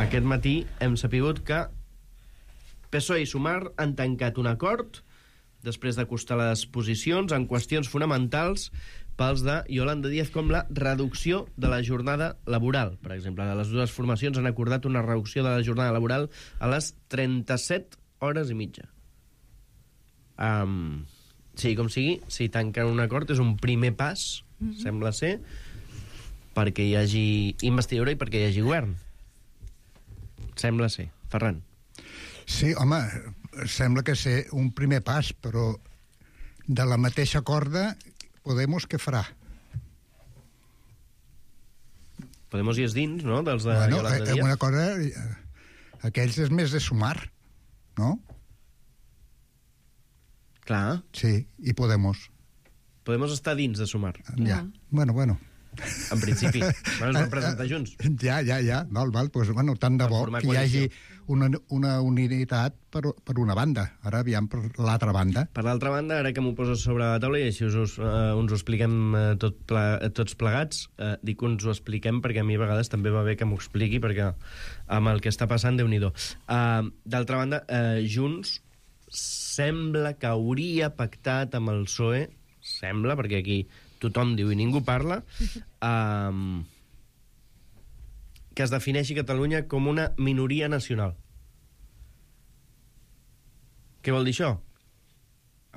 aquest matí hem sapigut que P S O E i Sumar han tancat un acord després d'acostar les posicions en qüestions fonamentals pels de Yolanda Díaz, com la reducció de la jornada laboral. Per exemple, les dues formacions han acordat una reducció de la jornada laboral a les trenta-set hores i mitja. Um, sí, com sigui, si tanquen un acord és un primer pas, mm-hmm. sembla ser, perquè hi hagi investidura i perquè hi hagi govern. Sembla ser. Ferran. Sí, home, sembla que ser un primer pas, però de la mateixa corda, Podemos què farà? Podemos hi és dins, no?, dels de bueno, Yolanda eh, Díaz. una cosa, eh, aquells és més de Sumar, no? Clar. Sí, i Podemos. Podemos estar dins de Sumar. Ja, bueno, bueno. En principi. Bueno, ens van presentar junts. Ja, ja, ja. Val, val. Pues, bueno, tant de Per bo formar que hi hagi coalició. una, una unitat per, per una banda. Ara aviam per l'altra banda. Per l'altra banda, ara que m'ho poses sobre la taula i així us, us, uh, uns ho expliquem uh, tot ple, uh, tots plegats, uh, dic que uns ho expliquem perquè a mi a vegades també va bé que m'ho expliqui, perquè amb el que està passant, Déu-n'hi-do. Uh, D'altra banda, uh, Junts sembla que hauria pactat amb el P S O E, sembla, perquè aquí tothom diu i ningú parla, um, que es defineixi Catalunya com una minoria nacional. Què vol dir això?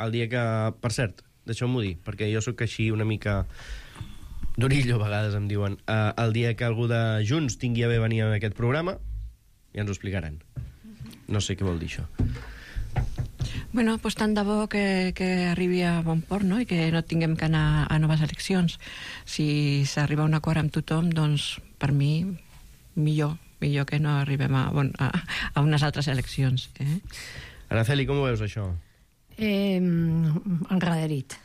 El dia que... Per cert, deixeu-m'ho dir, perquè jo sóc així una mica... Dorillo, a vegades em diuen. Uh, el dia que algú de Junts tingui a bé venir a aquest programa, ja ens ho explicaran. No sé què vol dir això. Bueno, pues tant de bo que, que arribi a bon port, no?, i que no tinguem que anar a noves eleccions. Si s'arriba a un acord amb tothom, doncs, per mi, millor, millor que no arribem a, bon, a, a unes altres eleccions. Eh? Araceli, com ho veus, això? Eh, enrederit.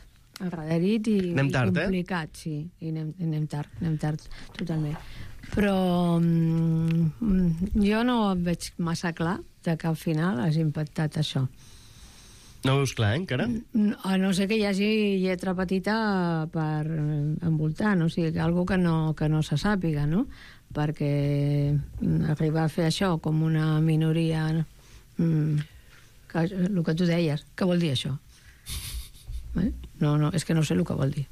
Enrederit i, anem tard, i complicat, eh? Sí. I anem, anem tard, anem tard, totalment. Però mm, jo no veig massa clar de que al final hagi impactat això. No ho veus clar, eh, encara? A no ser que hi hagi lletra petita per envoltant, o sigui, algo que no, que no se sàpiga, no? Perquè arribar a fer això com una minoria... Mm, que, el que tu deies, què vol dir això? Eh? No, no, és que no sé el que vol dir.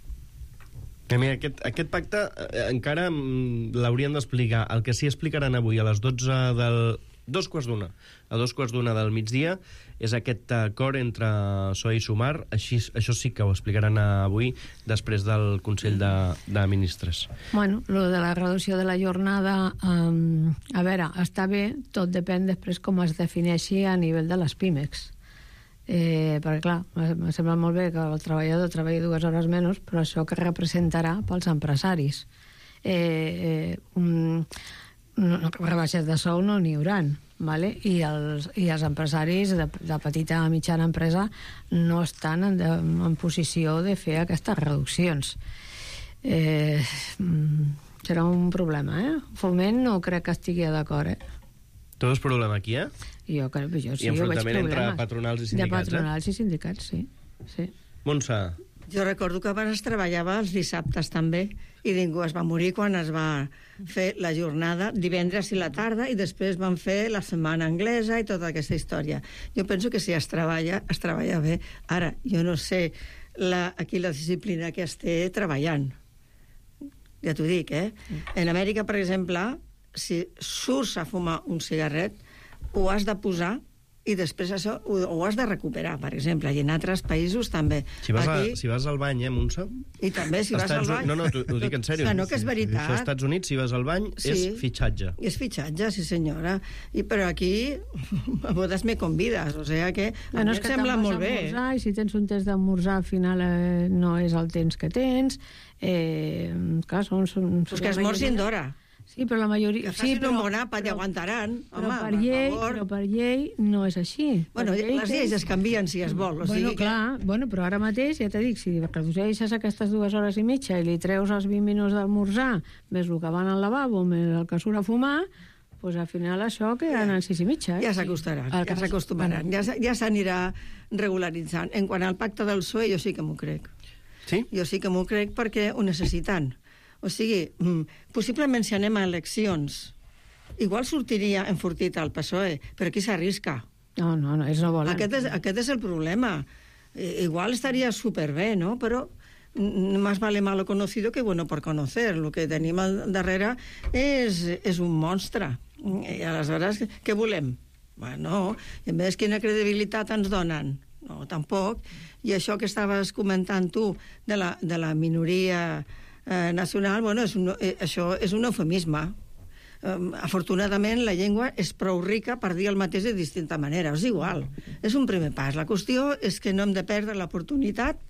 Que mira, aquest, aquest pacte eh, encara l'haurien d'explicar. El que sí explicaran avui a les dotze del... dos quarts d'una. A dos quarts d'una del migdia és aquest acord entre P S O E i Sumar. Així, això sí que ho explicaran avui després del Consell de, de Ministres. Bueno, lo de la reducció de la jornada, um, a veure, està bé, tot depèn després com es defineixi a nivell de les pimex. Eh, perquè, clar, em sembla molt bé que el treballador treballi dues hores menys, però això que representarà pels empresaris. Eh, eh, un, no, rebaixes de sou no n'hi hauran, vale? I, els, i els empresaris de, de petita a mitjana empresa no estan en, de, en posició de fer aquestes reduccions. Eh, serà un problema, eh? Foment no crec que estigui d'acord, eh? Tu veus problema aquí, eh? Jo, jo sí, I jo veig enfrontament entre problemes. patronals i sindicats, de patronals eh? i sindicats, sí. sí. Montse. Jo recordo que abans es treballava els dissabtes també i ningú es va morir quan es va fer la jornada divendres i la tarda i després van fer la setmana anglesa i tota aquesta història. Jo penso que si es treballa, es treballa bé. Ara, jo no sé la, aquí la disciplina que esté treballant. Ja t'ho dic, eh? En Amèrica, per exemple, si surts a fumar un cigarret, ho has de posar i després això ho, ho has de recuperar, per exemple, i en altres països també. Si vas, Aquí... a, si vas al bany, eh, Montse? I també si vas Estats... al bany... No, no, ho dic en sèrio. Ah, no, que és veritat. Això als Estats Units, si vas al bany, sí. és fitxatge. És fitxatge, sí senyora. I, però aquí a bodes me convides, o sigui que a bueno, mi em sembla molt bé. I si tens un temps d'esmorzar, al final eh, no és el temps que tens. Eh, clar, són... són pues que esmorzin d'hora. Sí, però la majoria... Que facin sí, però, un bon àpat i aguantaran. Però, home, per llei, però per llei no és així. Bueno, llei les lleis es canvien si es vol. O bueno, sigui clar, que... bueno, però ara mateix, ja t'he dit, si redueixes aquestes dues hores i mitja i li treus els vint minuts d'almorzar, més el que van al lavabo, més el que surt a fumar, doncs al final això quedaran en sis i mitja. Eh? Ja s'acostaran, sí. ja s'acostumaran, ja, ja s'anirà regularitzant. En quant al pacte del P S O E, jo sí que m'ho crec. Sí? Jo sí que m'ho crec perquè ho necessiten. O sigui, possiblement si anem a eleccions, igual sortiria enfortit al P S O E, però aquí s'arrisca. No, no, no, ells no volen. Aquest és, aquest és el problema. Igual estaria superbé, no? Però más vale malo conocido que bueno por conocer. El que tenim al darrere és, és un monstre. I aleshores, què volem? Bueno, i a més, quina credibilitat ens donen? No, tampoc. I això que estaves comentant tu de la, de la minoria eh, nacional, bueno, és un, eh, això és un eufemisme. Eh, afortunadament, la llengua és prou rica per dir el mateix de distinta manera. És igual. És un primer pas. La qüestió és que no hem de perdre l'oportunitat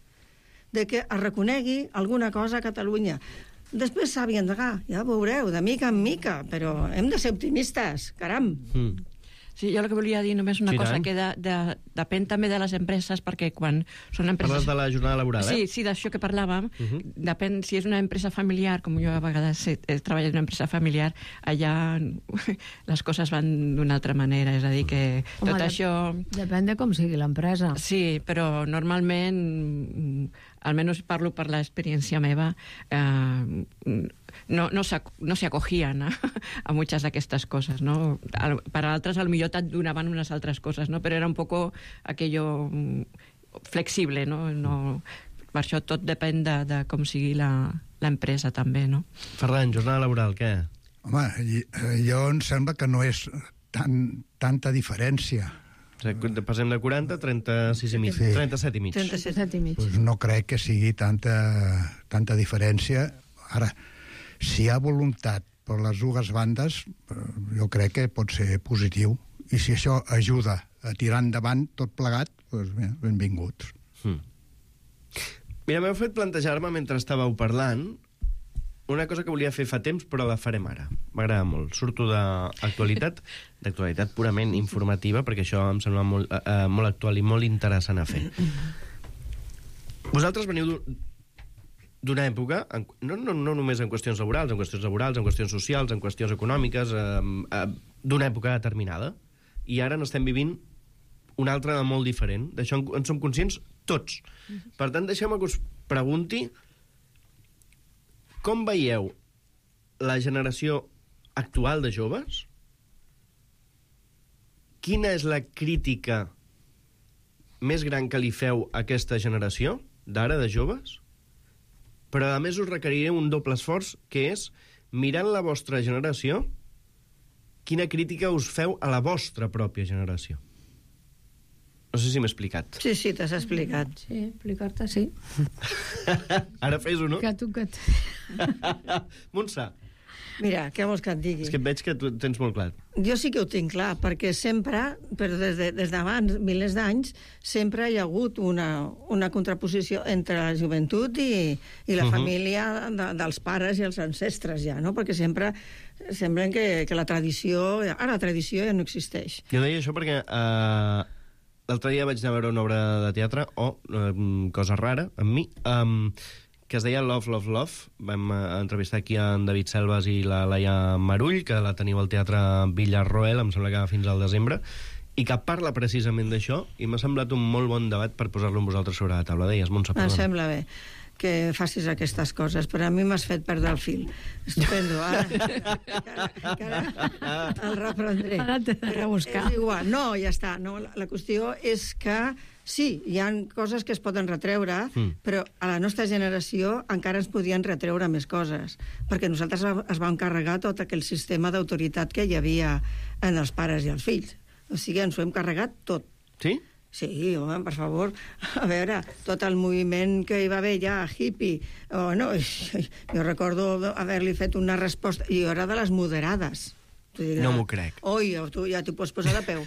de que es reconegui alguna cosa a Catalunya. Després s'ha d'endegar, ja veureu, de mica en mica, però hem de ser optimistes, caram. Mm. Sí, jo el que volia dir només una Sí, cosa, tant. que de, de, depèn també de les empreses, perquè quan són empreses... Parles de la jornada laboral, eh? Sí, sí, d'això que parlàvem. Uh -huh. Depèn, si és una empresa familiar, com jo a vegades he, he treballat en una empresa familiar, allà les coses van d'una altra manera, és a dir, que Home, tot de, això... Depèn de com sigui l'empresa. Sí, però normalment, almenys parlo per l'experiència meva, eh, no, no, se, no se acogían a, a muchas d'aquestes coses, no? Per a altres, potser et donaven unes altres coses, no? Però era un poco aquello flexible, no? no per això tot depèn de, de com sigui l'empresa, també, no? Ferran, jornada laboral, què? Home, jo em sembla que no és tan, tanta diferència. O sigui, passem de quaranta a trenta-sis i mig, Sí. trenta-set i mig. trenta-set i mig. Pues no crec que sigui tanta, tanta diferència. Ara, si hi ha voluntat per les dues bandes, jo crec que pot ser positiu. I si això ajuda a tirar endavant tot plegat, doncs bé, benvinguts. Hmm. Mira, m'heu fet plantejar-me, mentre estàveu parlant, una cosa que volia fer fa temps, però la farem ara. M'agrada molt. Surto d'actualitat, d'actualitat purament informativa, perquè això em sembla molt, uh, molt actual i molt interessant a fer. Vosaltres veniu d'una època, en, no, no, no només en qüestions laborals, en qüestions laborals, en qüestions socials, en qüestions econòmiques, eh, eh, d'una època determinada, i ara n'estem vivint una altra molt diferent. D'això en, en som conscients tots. Per tant, deixeu-me que us pregunti com veieu la generació actual de joves? Quina és la crítica més gran que li feu a aquesta generació d'ara, de joves? Però, a més, us requeriré un doble esforç, que és, mirant la vostra generació, quina crítica us feu a la vostra pròpia generació. No sé si m'he explicat. Sí, sí, t'has explicat. Sí, explicar-te, sí. Ara fes-ho, no? Que tu que... Montse. Mira, què vols que et digui? És que et veig que tu tens molt clar. Jo sí que ho tinc clar, perquè sempre, però des de, des d'abans, milers d'anys, sempre hi ha hagut una, una contraposició entre la joventut i, i la uh -huh. família de, dels pares i els ancestres, ja, no? Perquè sempre semblen que, que la tradició... Ara la tradició ja no existeix. Jo deia això perquè eh, l'altre dia vaig anar a veure una obra de teatre, o oh, eh, cosa rara, amb mi, eh, que es deia Love, Love, Love. Vam eh, entrevistar aquí en David Selves i la Laia Marull, que la teniu al Teatre Villarroel, em sembla que fins al desembre, i que parla precisament d'això, i m'ha semblat un molt bon debat per posar-lo amb vosaltres sobre la taula. Deies, Montse, perdona. Em sembla bé que facis aquestes coses, però a mi m'has fet perdre el fil. Estupendo, ara, que ara el reprendré. Ara t'he de rebuscar. És igual, no, ja està. No, la, la qüestió és que sí, hi ha coses que es poden retreure, mm. però a la nostra generació encara ens podien retreure més coses, perquè nosaltres es vam carregar tot aquell sistema d'autoritat que hi havia en els pares i els fills. O sigui, ens ho hem carregat tot. Sí? Sí, home, per favor. A veure, tot el moviment que hi va haver ja, hippie, oh, no, jo recordo haver-li fet una resposta, i jo era de les moderades. Diràs, no m'ho crec. Oi, tu ja t'ho pots posar de peu.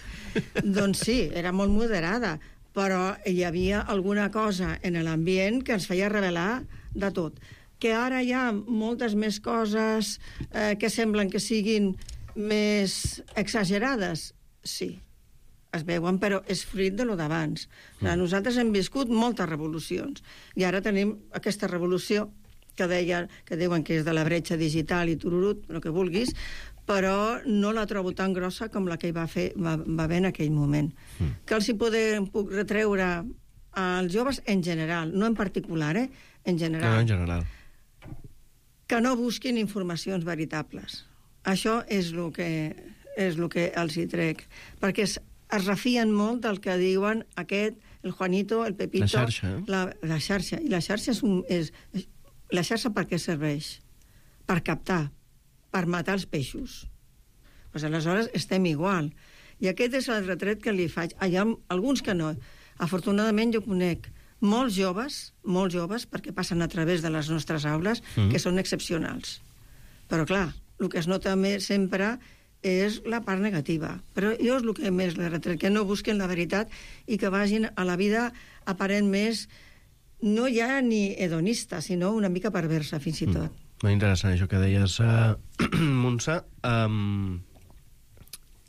Doncs sí, era molt moderada, però hi havia alguna cosa en l'ambient que ens feia revelar de tot. Que ara hi ha moltes més coses eh, que semblen que siguin més exagerades, sí, es veuen, però és fruit de lo d'abans. Mm. Nosaltres hem viscut moltes revolucions, i ara tenim aquesta revolució que, deia, que diuen que és de la bretxa digital i tururut, el que vulguis, però no la trobo tan grossa com la que hi va, fer, va, va haver en aquell moment. Mm. Que els hi podem, puc retreure als joves en general, no en particular, eh? En general. No, en general. Que no busquin informacions veritables. Això és el que, és el que els hi trec. Perquè es, es refien molt del que diuen aquest, el Juanito, el Pepito... La xarxa, eh? La, la xarxa. I la xarxa és, un, és... La xarxa per què serveix? Per captar, per matar els peixos. Pues aleshores estem igual. I aquest és el retret que li faig. Hi ha alguns que no. Afortunadament jo conec molts joves, molts joves, perquè passen a través de les nostres aules, mm. que són excepcionals. Però clar, el que es nota més sempre és la part negativa. Però jo és el que més li retret, que no busquen la veritat i que vagin a la vida aparent més, no ja ni hedonista, sinó una mica perversa, fins i tot. Mm. Molt interessant això que deies, uh, Montse. Um,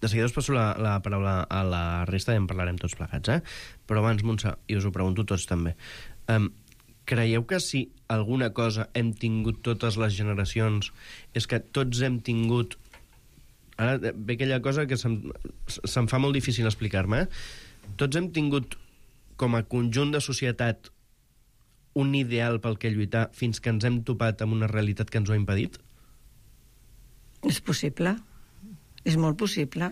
de seguida us passo la, la paraula a la resta i en parlarem tots plegats, eh? Però abans, Montse, i us ho pregunto tots també, um, creieu que si alguna cosa hem tingut totes les generacions és que tots hem tingut... Ara ve aquella cosa que se'm, se'm fa molt difícil explicar-me, eh? Tots hem tingut com a conjunt de societat un ideal pel que lluitar fins que ens hem topat amb una realitat que ens ho ha impedit? És possible. És molt possible.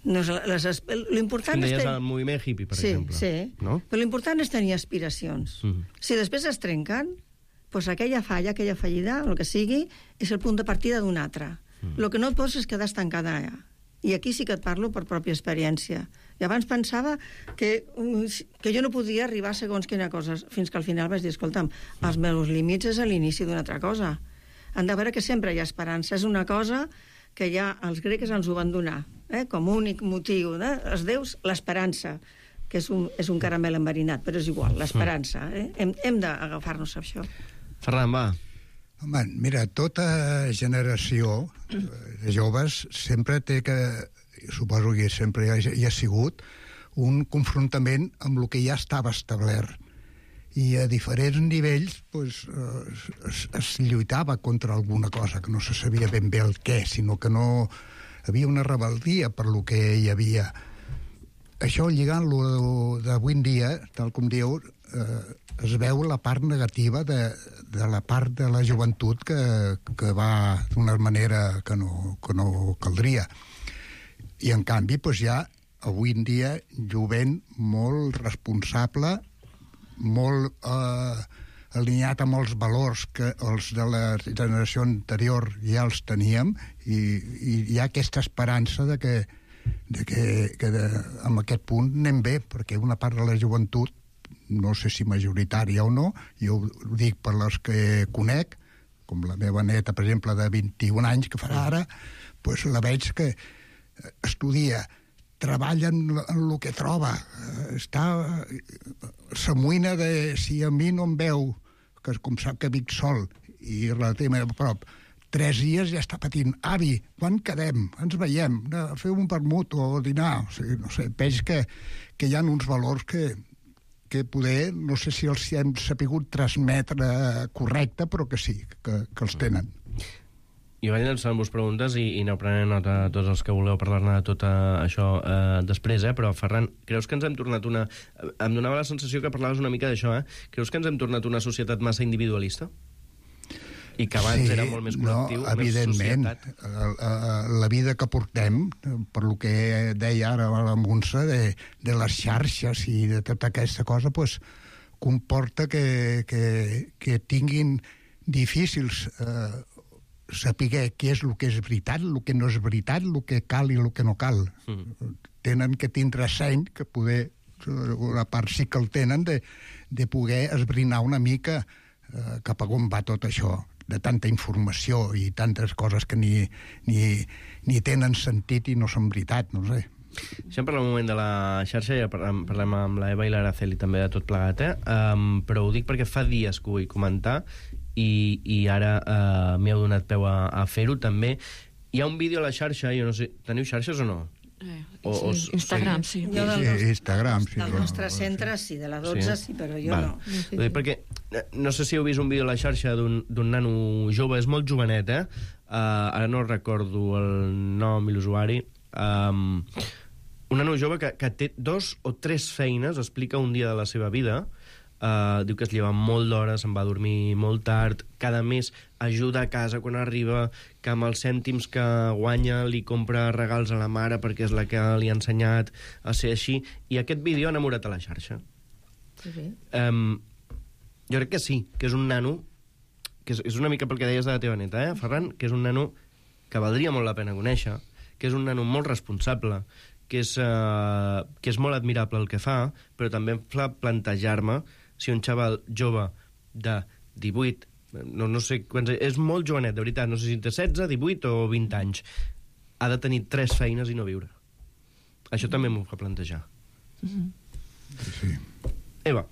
No, les, l'important és... és deies el moviment hippie, per sí, exemple. Sí, no? Però l'important és tenir aspiracions. Mm. Si després es trenquen, doncs aquella falla, aquella fallida, el que sigui, és el punt de partida d'un altre. Mm. El que no et pots és quedar estancada allà. I aquí sí que et parlo per pròpia experiència. I abans pensava que, que jo no podia arribar a segons quina cosa, fins que al final vaig dir, escolta'm, els meus límits és a l'inici d'una altra cosa. Han de veure que sempre hi ha esperança. És una cosa que ja els grecs ens ho van donar, eh? Com únic motiu. Eh? Els déus, l'esperança, que és un, és un caramel enverinat, però és igual, l'esperança. Eh? Hem, hem d'agafar-nos a això. Ferran, va. Home, mira, tota generació de joves sempre té que, suposo que sempre hi ha, hi ha sigut, un confrontament amb el que ja estava establert. I a diferents nivells pues, es, es lluitava contra alguna cosa, que no se sabia ben bé el què, sinó que no havia una rebel·lia per lo que hi havia. Això, lligant-lo d'avui en dia, tal com diu, eh, es veu la part negativa de, de la part de la joventut que, que va d'una manera que no, que no caldria. I, en canvi, pues, hi ha avui en dia jovent molt responsable, molt eh, alineat amb els valors que els de la generació anterior ja els teníem, i, i hi ha aquesta esperança de que, de que, que de, amb aquest punt anem bé, perquè una part de la joventut, no sé si majoritària o no, jo ho dic per les que conec, com la meva neta, per exemple, de vint-i-un anys, que farà ara, pues la veig que estudia, treballa en, en el que troba, està s'amoïna de si a mi no em veu, que com sap que vic sol i relativament a prop, tres dies ja està patint, avi, quan quedem? Ens veiem, a fer un vermut o dinar, o sigui, no sé, veig que, que hi ha uns valors que, que poder, no sé si els hem sapigut transmetre correcte, però que sí, que, que els tenen. I vaig llançant-vos preguntes i, i aneu prenent nota tots els que voleu parlar-ne de tot això eh, després, eh? Però, Ferran, creus que ens hem tornat una... Em donava la sensació que parlaves una mica d'això, eh? Creus que ens hem tornat una societat massa individualista? I que abans sí, era molt més col·lectiu, no, evidentment, més societat? La, la vida que portem, per lo que deia ara la Montse, de, de les xarxes i de tota aquesta cosa, pues, comporta que, que, que tinguin difícils... Eh, saber què és el que és veritat, el que no és veritat, el que cal i el que no cal. Mm. Tenen que tindre seny, que poder, una part sí que el tenen, de, de poder esbrinar una mica eh, cap a on va tot això, de tanta informació i tantes coses que ni, ni, ni tenen sentit i no són veritat, no sé. Deixem parlar un moment de la xarxa, ja parlem, parlem amb l'Eva i l'Araceli també de tot plegat, eh? Um, però ho dic perquè fa dies que ho vull comentar i, i ara uh, m'heu donat peu a, a fer-ho també. Hi ha un vídeo a la xarxa, jo no sé, teniu xarxes o no? Eh, o, sí, o, Instagram, sí. Jo del sí, Instagram, sí. Del nostre centre, sí, de la dotze, sí, sí però jo Val. no. Sí, sí. Perquè no sé si heu vist un vídeo a la xarxa d'un nano jove, és molt jovenet, eh? Uh, ara no recordo el nom i l'usuari. Um, un nano jove que, que té dos o tres feines, explica un dia de la seva vida. Uh, diu que es lleva molt d'hora, se'n va a dormir molt tard, cada mes ajuda a casa quan arriba, que amb els cèntims que guanya li compra regals a la mare perquè és la que li ha ensenyat a ser així, i aquest vídeo ha enamorat a la xarxa. Sí, sí. Um, jo crec que sí, que és un nano, que és, és una mica pel que deies de la teva neta, eh, Ferran, que és un nano que valdria molt la pena conèixer, que és un nano molt responsable, que és, uh, que és molt admirable el que fa, però també em fa plantejar-me si un xaval jove de divuit, no, no sé quants, és molt jovenet, de veritat, no sé si té setze, divuit o vint anys, ha de tenir tres feines i no viure. Això també m'ho fa plantejar. Mm-hmm. Sí. Eva.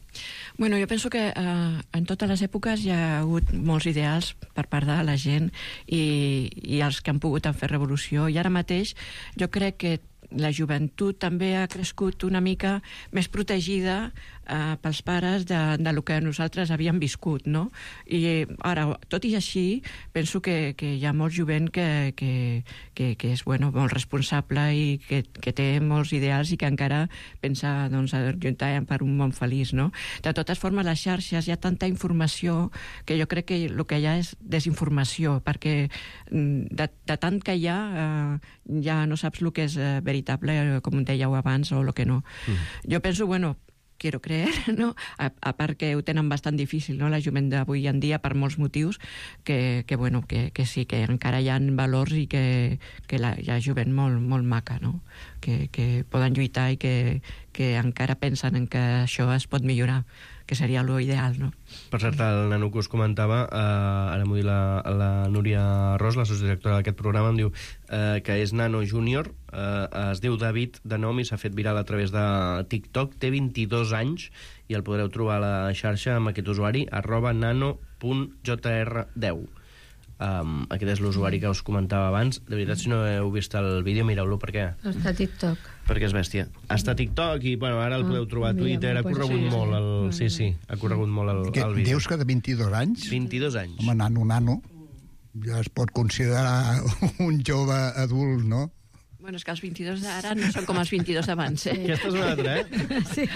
Bueno, jo penso que eh, en totes les èpoques hi ha hagut molts ideals per part de la gent i, i els que han pogut en fer revolució, i ara mateix jo crec que la joventut també ha crescut una mica més protegida eh, pels pares de, de lo que nosaltres havíem viscut, no? I ara, tot i així, penso que, que hi ha molt jovent que, que, que, que és bueno, molt responsable i que, que té molts ideals i que encara pensa doncs, a lluitar per un món feliç, no? De totes formes, les xarxes, hi ha tanta informació que jo crec que el que hi ha és desinformació, perquè de, de tant que hi ha, eh, ja no saps el que és eh, veritable, com dèieu abans, o el que no. Mm. Jo penso, bueno, quiero creer, no? A, a part que ho tenen bastant difícil, no?, la jovent d'avui en dia, per molts motius, que, que, bueno, que, que sí, que encara hi ha valors i que, que la, hi ha jovent molt, molt maca, no?, que, que poden lluitar i que, que encara pensen en que això es pot millorar, que seria lo ideal, no? Per cert, el nano que us comentava, eh, ara m'ho diu la, la Núria Ros, la sociodirectora d'aquest programa, em diu eh, que és nano júnior, eh, es diu David de nom i s'ha fet viral a través de TikTok, té vint-i-dos anys i el podreu trobar a la xarxa amb aquest usuari, arroba nano punt j r deu. Um, aquest és l'usuari que us comentava abans. De veritat, si no heu vist el vídeo, mireu-lo. Per què? Està a TikTok. Perquè és bèstia. Està a TikTok i, bueno, ara el podeu trobar a Twitter. Ha corregut molt el... Sí, sí, ha corregut molt el, el vídeo. Dius que de vint-i-dos anys? vint-i-dos anys. Home, nano, nano. Ja es pot considerar un jove adult, no? Bueno, és que els vint-i-dos d'ara no són com els vint-i-dos d'abans, eh? Aquesta és una altra, eh? Sí,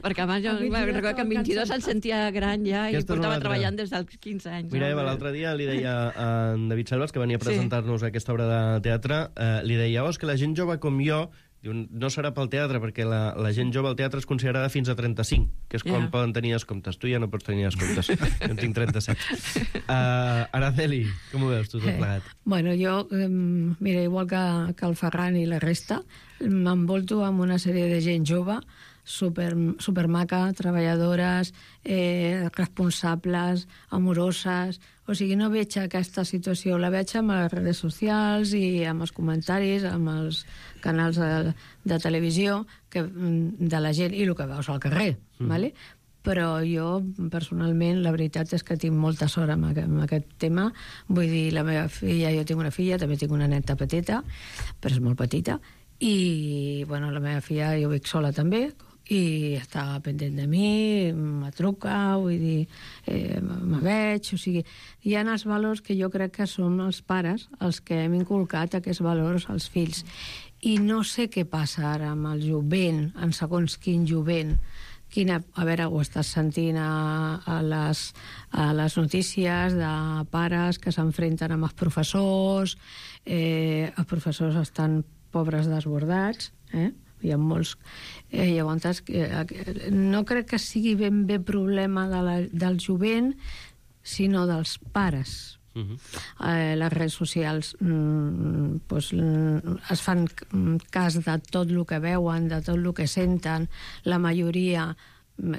perquè abans jo recordo que amb vint-i-dos em sentia gran ja i portava treballant des dels quinze anys. Mira, Eva, l'altre dia li deia a en David Selvas, que venia a presentar-nos aquesta obra de teatre, eh, li deia, oh, és que la gent jove com jo, diu, no serà pel teatre, perquè la, la gent jove al teatre és considerada fins a trenta-cinc, que és quan yeah. poden tenir descomptes. Tu ja no pots tenir descomptes. Jo en tinc trenta-set. Uh, Araceli, com ho veus tu tot plegat? Eh, bueno, jo, eh, mira, igual que, que el Ferran i la resta, m'envolto amb una sèrie de gent jove, super, super maca, treballadores, eh, responsables, amoroses. O sigui, no veig aquesta situació, la veig amb les redes socials i amb els comentaris, amb els canals de, de televisió que, de la gent i el que veus al carrer, mm. ¿vale? Però jo, personalment, la veritat és que tinc molta sort amb aquest, amb aquest tema. Vull dir, la meva filla, jo tinc una filla, també tinc una neta petita, però és molt petita, i, bueno, la meva filla jo vic sola també, i està pendent de mi, me truca, vull dir, eh, me veig, o sigui, hi ha els valors que jo crec que són els pares els que hem inculcat aquests valors als fills. I no sé què passa ara amb el jovent, en segons quin jovent, quina, a veure, ho estàs sentint a, a, les, a les notícies de pares que s'enfrenten amb els professors, eh, els professors estan pobres desbordats, eh? Hi ha molts... Eh, llavors, eh, no crec que sigui ben bé problema de la, del jovent, sinó dels pares. Uh-huh. eh, les redes socials mm, pues, es fan cas de tot el que veuen, de tot el que senten. La majoria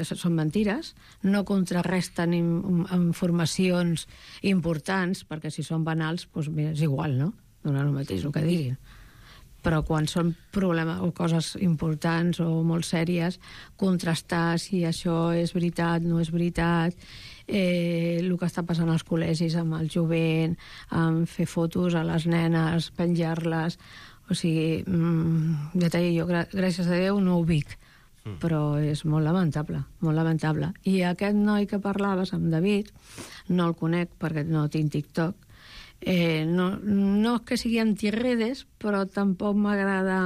són mentires, no contrarresten informacions importants, perquè si són banals, pues, mira, és igual, no? Donar el mateix el que diguin. Però quan són problemes o coses importants o molt sèries, contrastar si això és veritat, no és veritat, eh, el que està passant als col·legis amb el jovent, amb fer fotos a les nenes, penjar-les, o sigui, mmm, ja t'he dit, jo, gràcies a Déu, no ho vic, mm. però és molt lamentable, molt lamentable. I aquest noi que parlaves, amb David, no el conec perquè no tinc TikTok. Eh, no, no és que sigui antirredes, però tampoc m'agrada...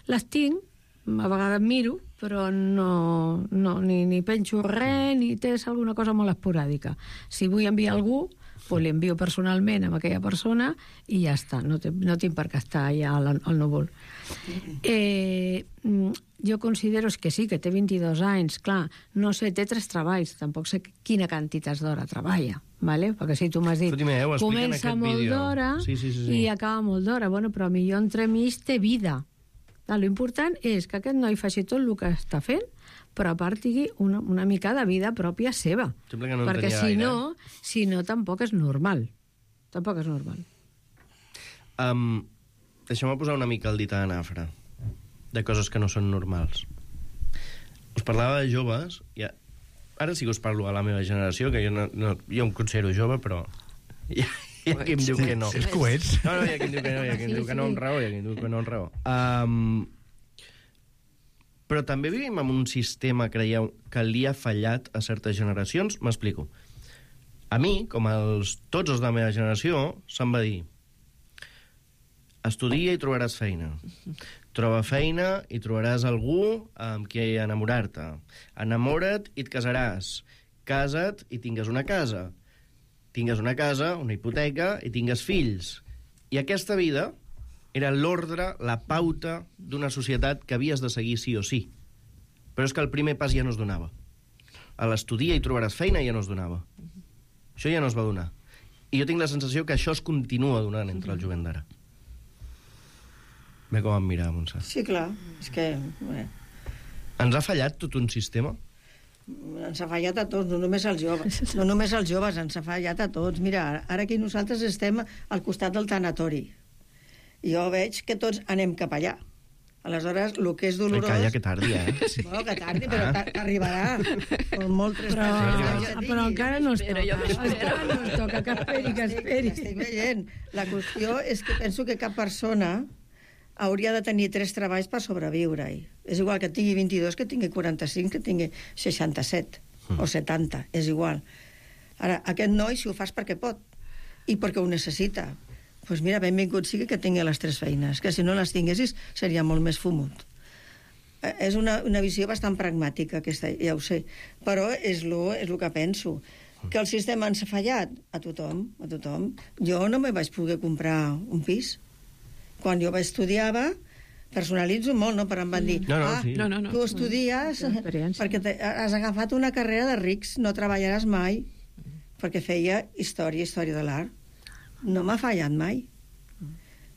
Les tinc, a vegades miro, però no, no, ni, ni penjo res, ni tens alguna cosa molt esporàdica. Si vull enviar algú, pues li envio personalment a aquella persona i ja està, no, te, no tinc per què estar allà al, al núvol. Eh, jo considero que sí, que té vint-i-dos anys, clar, no sé, té tres treballs, tampoc sé quina quantitat d'hora treballa, ¿vale? Perquè si tu m'has dit, Timeu, comença molt d'hora sí, sí, sí, sí. i acaba molt d'hora, bueno, però millor entremig té vida. L'important és que aquest noi faci tot el que està fent, però a part tingui una, una mica de vida pròpia seva. Sembla que no perquè si gaire. no, si no, tampoc és normal. Tampoc és normal. Um, Deixeu-me posar una mica el dit a nafra de coses que no són normals. Us parlava de joves, ja, ara sí que us parlo a la meva generació, que jo, no, no, jo em considero jove, però hi ha, hi ha qui em diu que no. És que ho ets. No, no, hi ha qui em diu que no, hi ha qui em diu que no amb raó, hi ha qui em diu que no amb raó. Um, però també vivim en un sistema, creieu, que li ha fallat a certes generacions? M'explico. A mi, com els, tots els de la meva generació, se'm va dir estudia i trobaràs feina. Troba feina i trobaràs algú amb qui enamorar-te. Enamora't i et casaràs. Casa't i tingues una casa. Tingues una casa, una hipoteca i tingues fills. I aquesta vida era l'ordre, la pauta d'una societat que havies de seguir sí o sí. Però és que el primer pas ja no es donava. A l'estudia i trobaràs feina ja no es donava. Això ja no es va donar. I jo tinc la sensació que això es continua donant entre el jovent d'ara. Bé com em mira, Montse. Sí, clar, és que... Bé. Ens ha fallat tot un sistema? Ens ha fallat a tots, no només als joves. No només als joves, ens ha fallat a tots. Mira, ara aquí nosaltres estem al costat del tanatori. Jo veig que tots anem cap allà. Aleshores, el que és dolorós... Ai, calla, que tardi, eh? Bueno, que tardi, però ah. t'arribarà. Com molt tres però, passos. però encara no es toca. Encara no es toca, que esperi, que esperi. Estic veient. La qüestió és que penso que cap persona hauria de tenir tres treballs per sobreviure. És igual que tingui vint-i-dos, que tingui quaranta-cinc, que tingui seixanta-set mm. o setanta. És igual. Ara, aquest noi, si ho fas perquè pot i perquè ho necessita, doncs pues mira, benvingut sigui que tingui les tres feines, que si no les tinguessis seria molt més fumut. Eh, és una, una visió bastant pragmàtica, aquesta, ja ho sé, però és lo, és lo que penso. Que el sistema ens ha fallat a tothom, a tothom. Jo no me vaig poder comprar un pis. Quan jo estudiava, personalitzo molt, no? Però em van dir, no, no, ah, sí. no, no, no. Tu estudies perquè te, has agafat una carrera de rics, no treballaràs mai, perquè feia història, història de l'art. No m'ha fallat mai.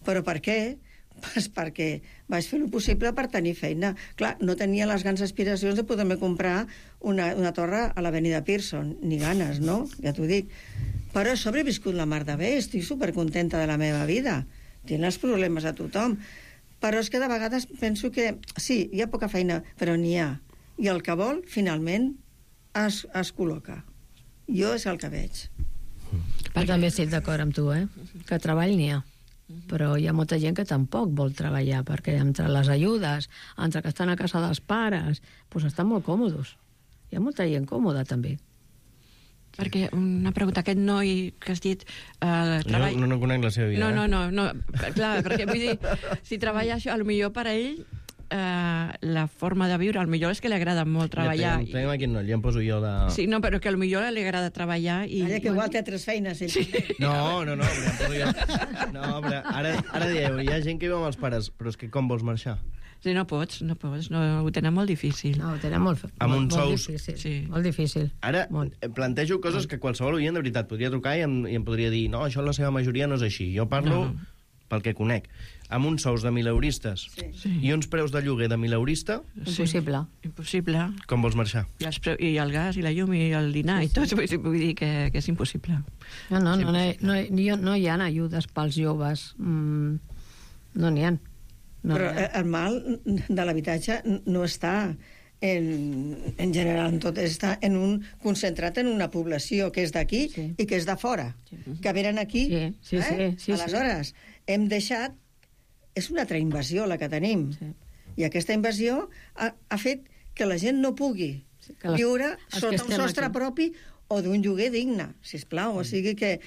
Però per què? Pues perquè vaig fer el possible per tenir feina. Clar, no tenia les grans aspiracions de poder-me comprar una, una torre a l'avenida Pearson, ni ganes, no? Ja t'ho dic. Però he sobreviscut la mar de bé, estic supercontenta de la meva vida. Tinc els problemes a tothom. Però és que de vegades penso que sí, hi ha poca feina, però n'hi ha. I el que vol, finalment, es, es col·loca. Jo és el que veig. Jo també estic d'acord amb tu, eh? Que treball n'hi ha. Però hi ha molta gent que tampoc vol treballar, perquè entre les ajudes, entre que estan a casa dels pares, doncs estan molt còmodes. Hi ha molta gent còmoda, també. Perquè una pregunta, aquest noi que has dit... Eh, treball... Jo no, no conec la seva vida. No, no, no, no. Clar, perquè vull dir, si treballa això, potser per a ell eh, la forma de viure, potser és que li agrada molt treballar. Ja tenim aquí, no, ja em poso jo de... Sí, no, però que potser li agrada treballar i... Allà que igual té tres feines. Sí. No, no, no, però em poso jo... No, però ara, ara dieu, hi ha gent que viu amb els pares, però és que com vols marxar? Sí, no pots, no pots, no, ho tenen molt difícil. No, ho tenen molt, amb molt, uns molt sous... difícil. Sí. Molt difícil. Ara molt. plantejo coses molt. Que qualsevol oient de veritat podria trucar i em, i em podria dir no, això la seva majoria no és així. Jo parlo no, no. pel que conec. Amb uns sous de mileuristes sí. Sí. I uns preus de lloguer de mileurista... Impossible. Sí. Impossible. Com vols marxar? I, els preu, I el gas, i la llum, i el dinar, sí, sí. i tot. Vull, vull dir que, que és impossible. No, no, és no, impossible. no, no, no hi ha ajudes pels joves. Mm, no n'hi ha. No, però no. el mal de l'habitatge no està en, en general en tot, està en un, concentrat en una població que és d'aquí sí. I que és de fora, sí. Que venen aquí sí, sí, eh? sí, sí, aleshores sí. Hem deixat, és una altra invasió la que tenim sí. I aquesta invasió ha, ha fet que la gent no pugui sí, les, viure sota un sostre aquí. Propi o d'un lloguer digne, sisplau, mm. O sigui que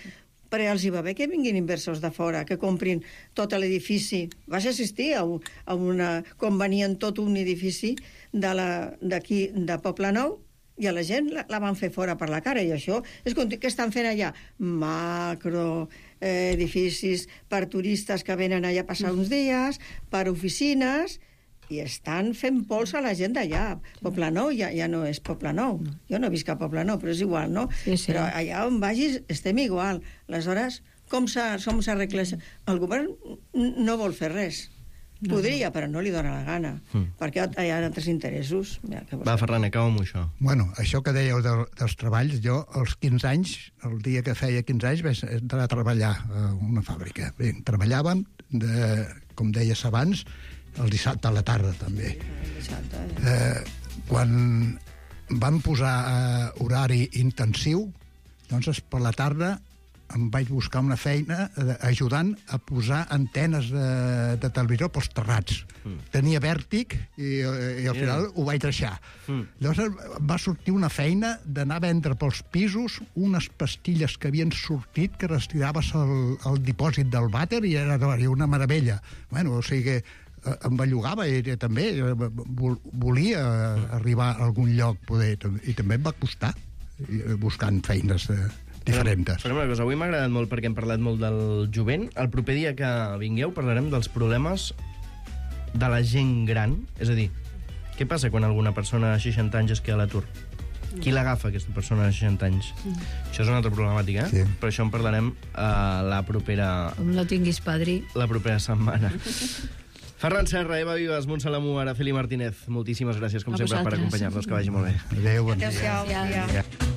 però els hi va bé que vinguin inversors de fora, que comprin tot l'edifici. Vas assistir a, un, a una... com venien tot un edifici d'aquí, de, de Poblenou, i a la gent la, la van fer fora per la cara, i això és com que estan fent allà macro eh, edificis per turistes que venen allà a passar uns dies, per oficines... I estan fent pols a la gent d'allà. Poblenou ja, ja no és Poblenou. Jo no visc a Poblenou, però és igual, no? Sí, sí. Però allà on vagis estem igual. Aleshores, com s'arregla? El govern no vol fer res. No, podria, no. Però no li dóna la gana. Mm. Perquè hi ha altres interessos. Ja, Va, Ferran, acaba amb això. Bueno, això que dèieu de, dels treballs, jo als quinze anys, el dia que feia quinze anys, vaig entrar a treballar a una fàbrica. Bé, treballàvem, de, com deies abans, el dissabte a la tarda, també. Eh, quan van posar eh, horari intensiu, doncs per la tarda em vaig buscar una feina eh, ajudant a posar antenes de, de televisió pels terrats. Mm. Tenia vèrtic i, i al final yeah. Ho vaig deixar. Mm. Llavors va sortir una feina d'anar a vendre pels pisos unes pastilles que havien sortit que les tiraves al, al dipòsit del vàter i era una meravella. Bueno, o sigui que em bellugava, ella també, volia arribar a algun lloc, poder, i també em va costar, buscant feines diferents. Però una cosa, avui m'ha agradat molt perquè hem parlat molt del jovent. El proper dia que vingueu parlarem dels problemes de la gent gran, és a dir, què passa quan alguna persona de seixanta anys es queda a l'atur? Qui l'agafa, aquesta persona de seixanta anys? Mm. Això és una altra problemàtica, eh? Sí. Però això en parlarem a la propera... Com no tinguis padrí. La propera setmana. Ferran Serra, Eva Vives, Montse Lamú, Araceli Martínez, moltíssimes gràcies, com a sempre, vosaltres. per acompanyar-nos. Que vagi molt bé. Adéu, bon dia. Adéu-siau. Ja. Ja.